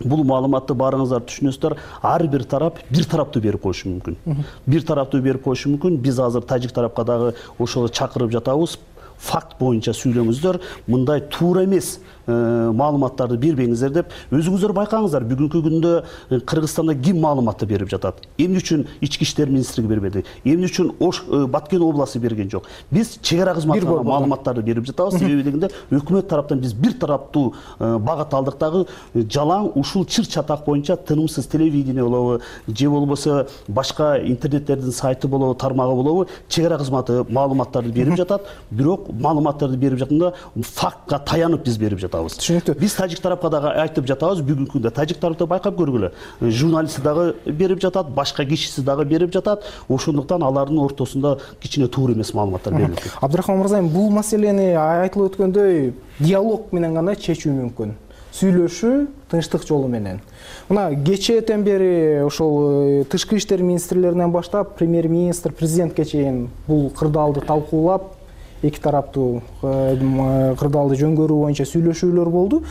бул маалыматты баарыңыздар түшүнөсүздөр, ар бир тарап бир тараптуу берип коюшу мүмкүн. Бир тараптуу берип коюшу мүмкүн. Биз азыр тажик тарапка дагы ошого чакырып жатабыз. Факт боюнча сүйлөңүздөр, мындай туура эмес маалыматтарды бербеңиздер деп өзүңүздөр байкаңыздар. Бүгүнкү күндө Кыргызстанда ким маалыматты берип жатат? Эмне үчүн Ички иштер министрлиги бербеди? Эмне үчүн Ош Баткен областы берген жок? Биз чек ара кызматына маалыматтарды берип жатабыз. Себеби дегенде өкмөт тараптан биз бир тараптуу багат алдык дагы жалаң ушул чыр-чатак боюнча тынымсыз телевидение болобу, же болбосо башка интернеттердин сайты болобу, тармагы болобу, чек ара кызматы маалыматтарды берип жатат. Бирок маалыматтарды берип жатканда фактка таянып биз берип жатабыз. Түшүнүктүү. Биз тажик тарапка дагы айтып жатабыз, бүгүнкү күндө тажик тарапта байкап көргүлө. Журналисти дагы берип жатат, башка кишиси дагы берип жатат. Ошондуктан алардын ортосунда кичине туура эмес маалыматтар берилет. Абдрахман мырза, бул маселени айтылып өткөндөй диалог менен гана чечүү мүмкүн. Сүйлөшүү тынчтык жолу менен. Мына кечээден бери ошол тышкы иштер министрлеринен баштап премьер-министр, президентке чейин бул кырдаалды талкуулап, эки тараптуу кырдаалды жөнгөрүү боюнча сүйлөшүүлөр болду.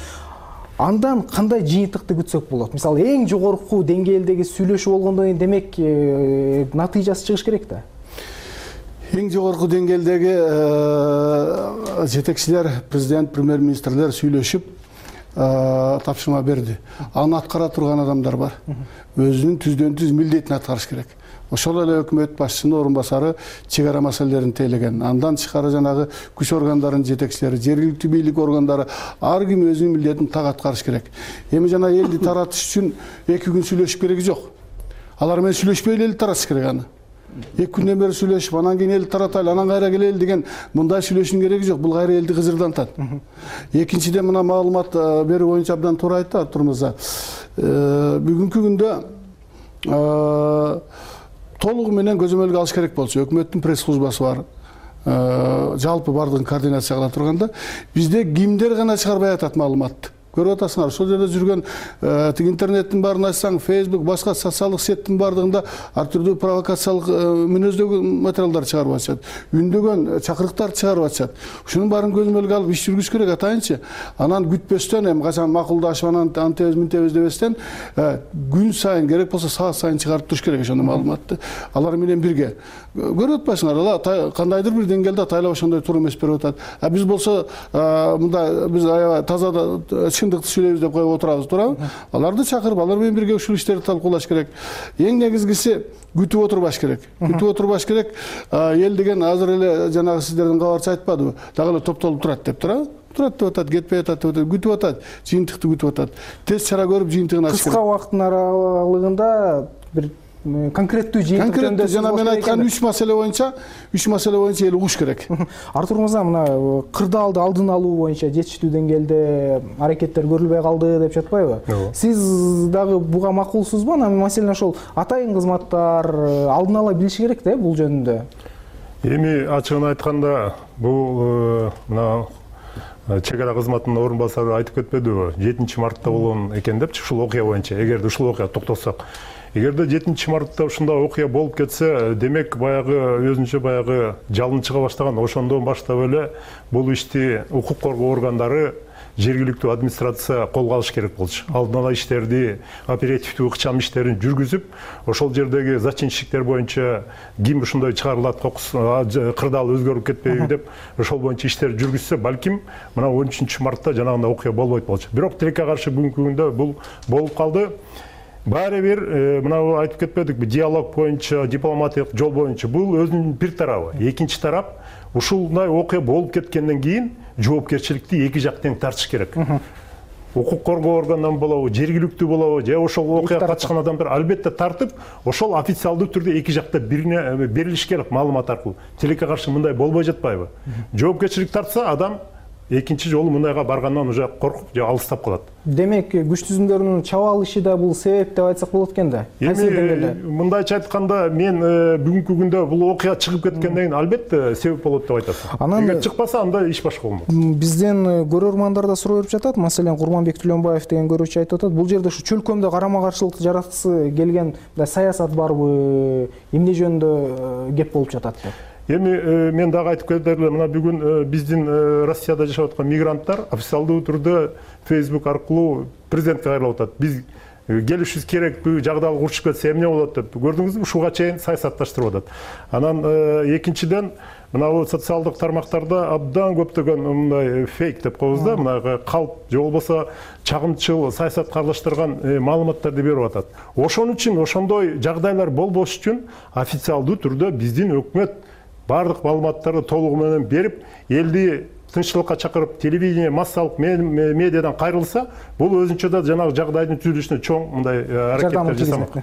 Андан кандай жыйынтыкты күтсөк болот? Мисалы, эң жогорку деңгээлдеги сүйлөшүү болгондон кийин демек натыйжасы чыгыш керек да. Эң жогорку деңгээлдеги жетекчилер, президент, премьер-министрлер сүйлөшүп тапшырма берди. Аны аткара турган адамдар бар. Өзүнүн түздөн түз милдетин аткарыш керек. Ошол эле өкмөт башчысынын орун басары чек ара маселелерин тейлеген. Андан тышкары жанагы күч органдарынын жетекчилери, жергиликтүү бийлик органдары ар ким өзүнүн милдетин так аткарыш керек. Эми жана элди таратыш үчүн эки күн сүйлөшүп кереги жок. Алар менен сүйлөшпөй эле таратыш керек аны. эки күндөн бери сүйлөшүп, анан кийин элди таратайлы, анан кайра келели деген мындай сүйлөшүүнүн кереги жок. Бул кайра элди кызырдантат. Экинчиден мына маалымат берүү боюнча абдан туура айтты Артур мырза. Бүгүнкү күндө толугу менен көзөмөлгө алыш керек болчу. Өкмөттүн пресс службасы бар. Жалпы бардыгын координация кыла турганда бизде кимдер гана чыгарбай атат маалыматты. Көрүп атасыңар, ошол жерде жүргөн тиги интернеттин баарын ачсаң, Facebook, башка социалдык сеттин бардыгында ар түрдүү провокациялык мүнөздөгү материалдар чыгарып атышат. Үндөгөн чакырыктар чыгарып атышат. Ушунун баарын көзөмөлгө алып иш жүргүзүш керек атайынчы. Анан күтпөстөн, эми качан макулдашып анан антебиз мынтебиз дебестен күн сайын керек болсо саат сайын чыгарып туруш керек ошондой маалыматты. Алар менен бирге. Көрүп атпайсыңар, алар кандайдыр бир деңгээлде атайлап ошондой туура эмес берип атат. А биз болсо мындай биз аябай таза чындыкты сүйлөйбүз деп коюп отурабыз туурабы? Аларды чакырып, алар менен бирге ушул иштерди талкуулаш керек. Эң негизгиси күтүп отурбаш керек. Күтүп отурбаш керек. Эл деген азыр эле жанагы сиздердин кабарчы айтпадыбы? Дагы эле топтолуп турат деп туурабы? Турат деп атат, кетпей атат деп атат, күтүп атат, жыйынтыкты күтүп атат. Тез чара көрүп жыйынтыгын ачыш керек. Кыска убакыттын аралыгында бир конкреттүү жыйынтык конкреттүү жана мен айткан үч маселе боюнча үч маселе боюнча эл угуш керек. Артур мырза, мына кырдаалды алдын алуу боюнча жетиштүү деңгээлде аракеттер көрүлбөй калды деп жатпайбы? Сиз дагы буга макулсузбу? Анан маселен ошол атайын кызматтар алдын ала билиши керек да бул жөнүндө. Эми ачыгын айтканда бул мына чек ара кызматынын орун басары айтып кетпедиби? жетинчи мартта болгон экен депчи ушул окуя боюнча. Эгерде ушул окуяга токтолсок, эгерде жетинчи мартта ушундай окуя болуп кетсе, демек баягы өзүнчө баягы жалын чыга баштаган. Ошондон баштап эле бул ишти укук коргоо органдары, жергиликтүү администрация колго алыш керек болчу. Алдын ала иштерди, оперативдүү ыкчам иштерин жүргүзүп, ошол жердеги зачинщиктер боюнча ким ушундай чыгарылат, кырдаал өзгөрүп кетпейби деп ошол боюнча иштер жүргүзсө, балким мына он үчүнчү мартта жанагындай окуя болбойт болчу. Бирок тилекке каршы бүгүнкү күндө бул болуп калды. Баары бир мына айтып кетпедикпи, диалог боюнча, дипломатиялык жол боюнча бул өзүнүн бир тарабы. Экинчи тарап, ушундай окуя болуп кеткенден кийин жоопкерчиликти эки жак тең тартыш керек. Укук коргоо органынан болобу, жергиликтүү болобу, же ошол окуяга катышкан адамдар албетте тартып, ошол официалдуу түрдө эки жакта бирине берилиш керек маалымат аркылуу. Тилекке каршы мындай болбой жатпайбы? Жоопкерчилик тартса, адам экинчи жолу мындайга баргандан уже коркуп же алыстап калат. Демек, күч түзүмдөрүнүн чаба алышы да бул себеп деп айтсак болот экен да. Эми мындайча айтканда, мен бүгүнкү күндө бул окуя чыгып кеткенден кийин албетте себеп болот деп айтасың. Эгер чыкпаса, анда иш башка болмок. Бизден көрөрмандар да суроо берип жатат. Маселен, Курманбек Түлөнбаев деген көрүүчү айтып атат. Бул жерде ушу чөлкөмдө карама каршылыкты жараткысы келген саясат барбы, эмне жөнүндө кеп болуп жатат деп. Эми мен дагы айтып кетерле, мына бүгүн биздин Россияда жашап аткан мигранттар официалдуу түрдө Facebook аркылуу президентке кайрылып атат. Биз келишибиз керек, бул жагдайлык урушуп кетсе эмне болот деп. Көрдүңүзбү, ушуга чейин саясатташтырып атат. Анан экинчиден, мына бул социалдык тармактарда абдан көптөгөн мындай фейк деп коебуз да, мына калп же болбосо чагымчыл саясатка аралаштырган маалыматтарды берип атат. Ошон үчүн ошондой жагдайлар болбош үчүн официалдуу түрдө биздин өкмөт бардык маалыматтарды толугу менен берип, элди тынччылыкка чакырып, телевидение, массалык медиадан кайрылса, бул өзүнчө да жанагы жагдайдын түзүлүшүнө чоң мындай аракеттер жасамак.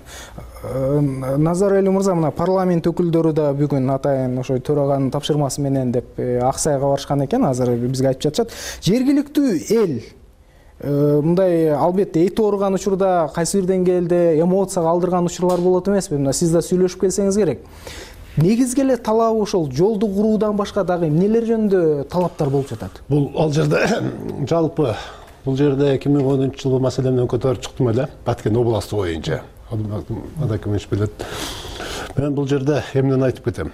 Назар Элүү мырза, мына парламент өкүлдөрү да бүгүн атайын ошо төраганын тапшырмасы менен деп Аксайга барышкан экен, азыр бизге айтып жатышат. Жергиликтүү эл мындай албетте эти ооруган учурда кайсы бир деңгээлде эмоцияга алдырган учурлар болот эмеспи? Мына сиз да сүйлөшүп келсеңиз керек. Негизги эле талабы ошол жолду куруудан башка дагы эмнелер жөнүндө талаптар болуп жатат? Бул ал жерде жалпы бул жерде эки миң онунчу жылы маселе менен көтөрүп чыктым эле, Баткен областы боюнча. Адакимич билет. Мен бул жерде эмнени айтып кетем.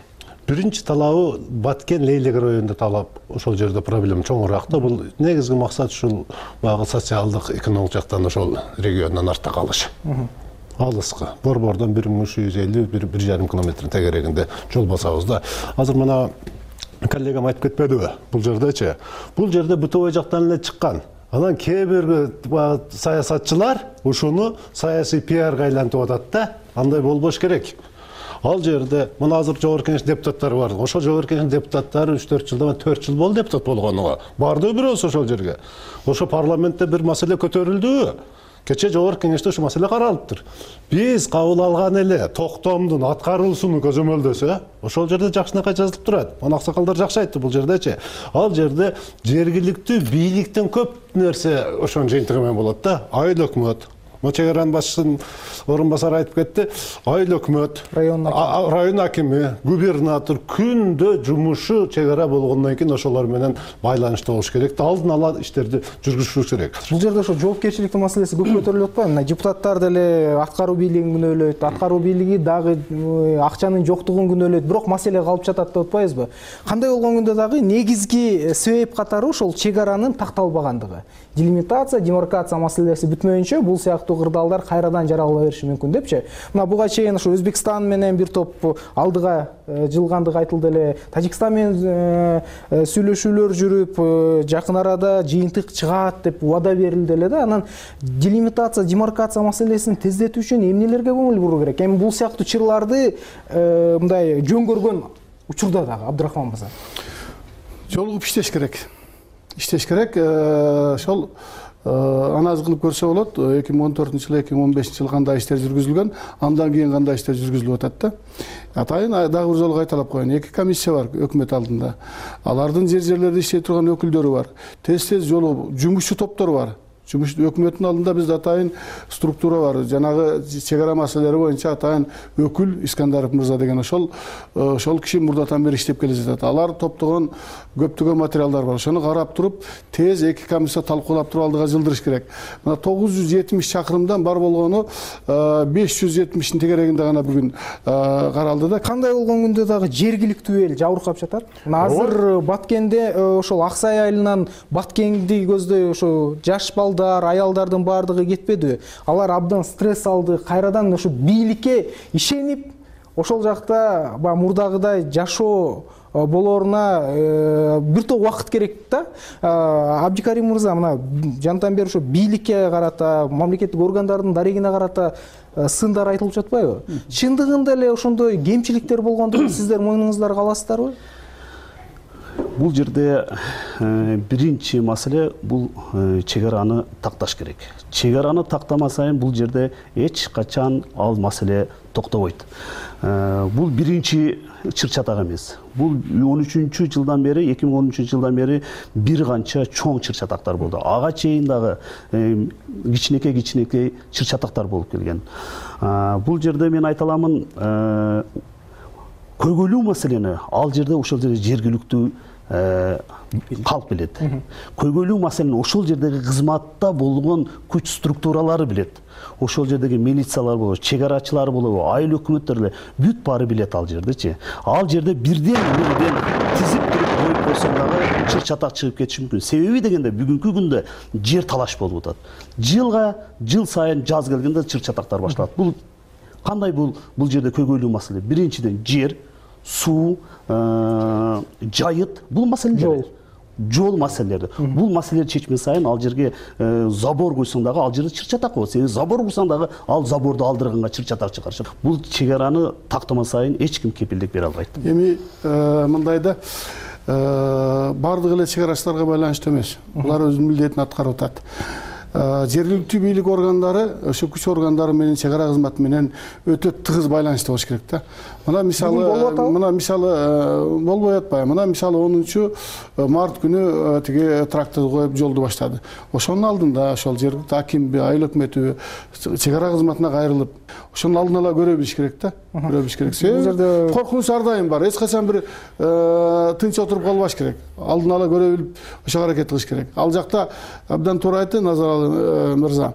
Биринчи талабы Баткен Лейлек районунда талап, ошол жерде проблема чоңураак да. Бул негизги максат ушул багы социалдык, экономик жактан ошол региондон артта калыш. Алыскы. Борбордон бир миң үч жүз элүү бир жарым километр тегерегинде жол басабыз да. Азыр мына коллегам айтып кетпедиби? Бул жердечи. Бул жерде бытовой жактан эле чыккан. Анан кээ бир саясатчылар ушуну саясий пиарга айлантып атат да. Андай болбош керек. Ал жерде мына азыр жогорку кеңеш депутаттары бар. Ошол жогорку кеңеш депутаттары үч төрт жылдан төрт жыл болду депутат болгонуга. Барды бирөөсү ошол жерге. Ошо парламентте бир маселе көтөрүлдүбү? Кече жогорку кеңеште ушул маселе каралыптыр. Биз кабыл алган эле токтомдун аткаруусуну көзөмөлдөсө, ошол жерде жакшынакай жазылып турат. Мына аксакалдар жакшы айтты бул жердечи. Ал жерде жергиликтүү бийликтен көп нерсе ошонун жыйынтыгы менен болот да. Айыл өкмөт, чек аранын башчысынын орун басары айтып кетти. Айыл өкмөт, район акими, губернатор күндө жумушу чек ара болгондон кийин ошолор менен байланышта болуш керек. Алдын ала иштерди жүргүзүш керек. Бул жерде ошо жоопкерчиликтин маселеси көп көтөрүлүп атпайбы? Мына депутаттар деле аткаруу бийлигин күнөөлөйт, аткаруу бийлиги дагы акчанын жоктугун күнөөлөйт, бирок маселе калып жатат деп атпайбызбы? Кандай болгон күндө дагы негизги себеп катары ошол чек аранын такталбагандыгы. Делимитация, демаркация маселеси бүтмөйүнчө бул сыяктуу сыяктуу кырдаалдар кайрадан жаралыла бериши мүмкүн депчи. Мына буга чейин ушу Өзбекстан менен бир топ алдыга жылгандыгы айтылды эле. Тажикстан менен сүйлөшүүлөр жүрүп, жакын арада жыйынтык чыгат деп убада берилди эле да. Анан делимитация, демаркация маселесин тездетүү үчүн эмнелерге көңүл буруу керек? Эми бул сыяктуу чырларды мындай жөн көргөн учурда дагы Абдрахман мырза жолугуп иштеш керек. Иштеш керек. Ошол анализ кылып көрсө болот. эки миң он төртүнчү жылы, эки миң он бешинчи жылы кандай иштер жүргүзүлгөн, андан кийин кандай иштер жүргүзүлүп атат да. Атайын дагы бир жолу кайталап коеюн. Эки комиссия бар өкмөт алдында. Алардын жер жерлерде иштей турган өкүлдөрү бар. Тез-тез жолу жумушчу топтору бар. Жумуш өкмөттүн алдында бизде атайын структура бар. Жанагы чек ара маселелери боюнча атайын өкүл Искандаров мырза деген ошол ошол киши мурдатан бери иштеп келе жатат. Алар топтогон көптөгөн материалдар бар. Ошону карап туруп, тез эки комиссия талкуулап туруп алдыга жылдырыш керек. Мына тогуз жүз жетимиш чакырымдан бар болгону беш жүз жетимиштин тегерегинде гана бүгүн каралды да. Кандай болгон күндө дагы жергиликтүү эл жабыркап жатат. Азыр Баткенде ошол Аксай айылынан Баткенди көздөй ошо жаш балдар, аялдардын баардыгы кетпеди. Алар абдан стресс алды. Кайрадан ошо бийликке ишенип, ошол жакта баягы мурдагыдай жашоо болоруна бир топ убакыт керек да. Абдикарим мырза, мына жантан бери ошо бийликке карата, мамлекеттик органдардын дарегине карата сындар айтылып жатпайбы? Чындыгында эле ошондой кемчиликтер болгондугун сиздер мойнуңуздарга аласыздарбы? Бул жерде биринчи маселе бул чек араны такташ керек. Чек араны тактамасайын бул жерде эч качан ал маселе токтобойт. Бул биринчи чыр-чатак эмес. Бул он үчүнчү жылдан бери, эки миң он үчүнчү жылдан бери бир канча чоң чыр-чатактар болду. Ага чейин дагы кичинекей-кичинекей чыр-чатактар болуп келген. Бул жерде мен айта аламын, көйгөйлүү маселени ал жерде ошол жерде жергиликтүү калп билет. Көйгөйлүү маселени ошол жердеги кызматта болгон күч структуралары билет. Ошол жердеги милициялар болобу, чек арачылар болобу, айыл өкмөттөр эле бүт баары билет ал жердечи. Ал жерде бирден бирден тизип туруп коюп койсоң дагы чыр-чатак чыгып кетиши мүмкүн. Себеби дегенде бүгүнкү күндө жер талаш болуп атат. Жылга жыл сайын жаз келгенде чыр-чатактар башталат. Бул кандай бул бул жерде көйгөйлүү маселе? Биринчиден жер, суу, жайыт, бул маселелер. Жол маселелери. Бул маселелерди чечме сайын ал жерге забор койсоң дагы ал жерде чыр-чатак болот. Себеби забор курсаң дагы ал заборду алдырганга чыр-чатак чыгарышат. Бул чек араны тактама сайын эч ким кепилдик бере албайт. Эми мындайда бардыгы эле чек арачыларга байланыштуу эмес. Булар өзүнүн милдетин аткарып атат. Жергиликтүү бийлик органдары, ошо күч органдары менен чек ара кызматы менен өтө тыгыз байланышта болуш керек да. Мына мисалы, мына мисалы болбой атпайбы? Мына мисалы онунчу март күнү тиги трактор коюп жолду баштады. Ошонун алдында ошол жергиликтүү акимби, айыл өкмөтү чек ара кызматына кайрылып, ошонун алдын ала көрө билиш керек да. Көрө билиш керек. Себеби коркунуч ар дайым бар. Эч качан бир тынч отуруп калбаш керек. Алдын ала көрө билип ошого аракет кылыш керек. Ал жакта абдан туура айтты Назаралы мырза.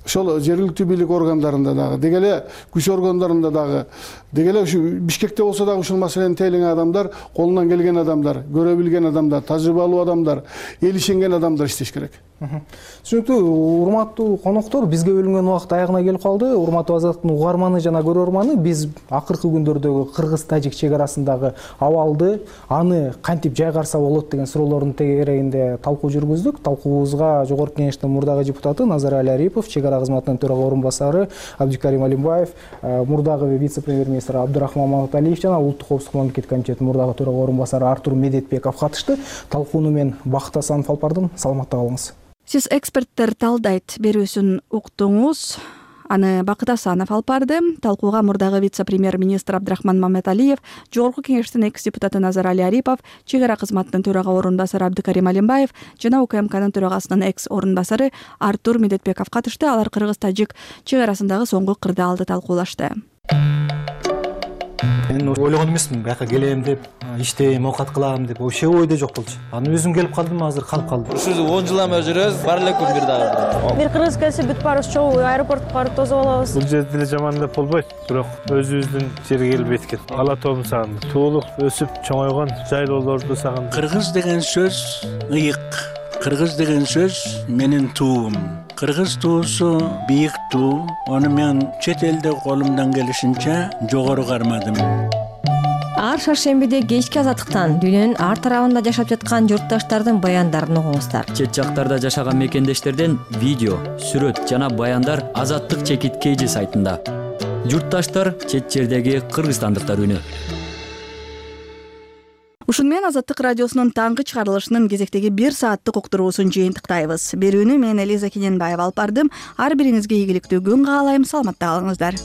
Ошол жергиликтүү бийлик органдарында дагы, деги эле күч органдарында дагы, деги эле ушу Бишкекте болсо дагы ушул маселени тейлеген адамдар, колунан келген адамдар, көрө билген адамдар, тажрыйбалуу адамдар, эл ишенген адамдар иштеш керек. Түшүнүктүү, урматтуу коноктор, бизге бөлүнгөн убакыт аягына келип калды. Урматтуу Азаттыктын угарманы жана көрөрманы, биз акыркы күндөрдөгү кыргыз-тажик чек арасындагы абалды, аны кантип жайгарса болот деген суроолордун тегерегинде талкуу жүргүздүк. Талкуубузга Жогорку Кеңештин мурдагы депутаты Назарали Арипов, чек ара кызматынын төрага орун басары Абдикарим Алимбаев, мурдагы вице-премьер-министр Абдрахман Маматалиев жана Улуттук коопсуздук мамлекеттик комитетинин мурдагы төрага орун басары Артур Медетбеков катышты. Талкууну мен Бакыт Асанов алып бардым. Саламатта калыңыз. Сиз эксперттер талдайт берүүсүн уктуңуз. Аны Бакыт Асанов алып барды. Талкууга мурдагы вице-премьер-министр Абдрахман Маматалиев, Жогорку Кеңештин экс-депутаты Назарали Арипов, чек ара кызматынын төрага орун басары Абдикарим Алимбаев жана УКМКнын төрагасынын экс-орун басары Артур Медетбеков катышты. Алар кыргыз-тажик чек арасындагы соңку кырдаалды талкуулашты. Мен ойлогон эмесмин, бияка келем деп, иштейм, оокат кылам деп, вообще ойдо жок болчу. Анан өзүм келип калдым, азыр калып калдым. Ушул он жылдан бери жүрөбүз, бар эле күн бир дагы. Бир кыргыз келсе бүт баарыбыз чогуу аэропортко барып тосуп алабыз. Бул жерде деле жаман деп болбойт, бирок өзүбүздүн жерге келип эткен. Ала тообун сагындым. Туулуп, өсүп, чоңойгон жайлоолорду сагындым. Кыргыз деген сөз ыйык, кыргыз деген сөз менин туум. Кыргыз туусу бийик туу. Аны мен чет элде колумдан келишинче жогору кармадым. Ар шаршембиде кечки азаттыктан дүйнөнүн ар тарабында жашап жаткан журтташтардын баяндарын угуңуздар. Чет жактарда жашаган мекендештерден видео, сүрөт жана баяндар Азаттык чекит kg сайтында. Журтташтар чет жердеги кыргызстандыктар үнү. Ушун менен Азаттык радиосунун таңкы чыгарылышынын кезектеги бир сааттык уктуруусун жыйынтыктайбыз. Берүүнү мен Элиза Кененбаева алып бардым. Ар бириңизге ийгиликтүү күн каалайм. Саламатта калыңыздар.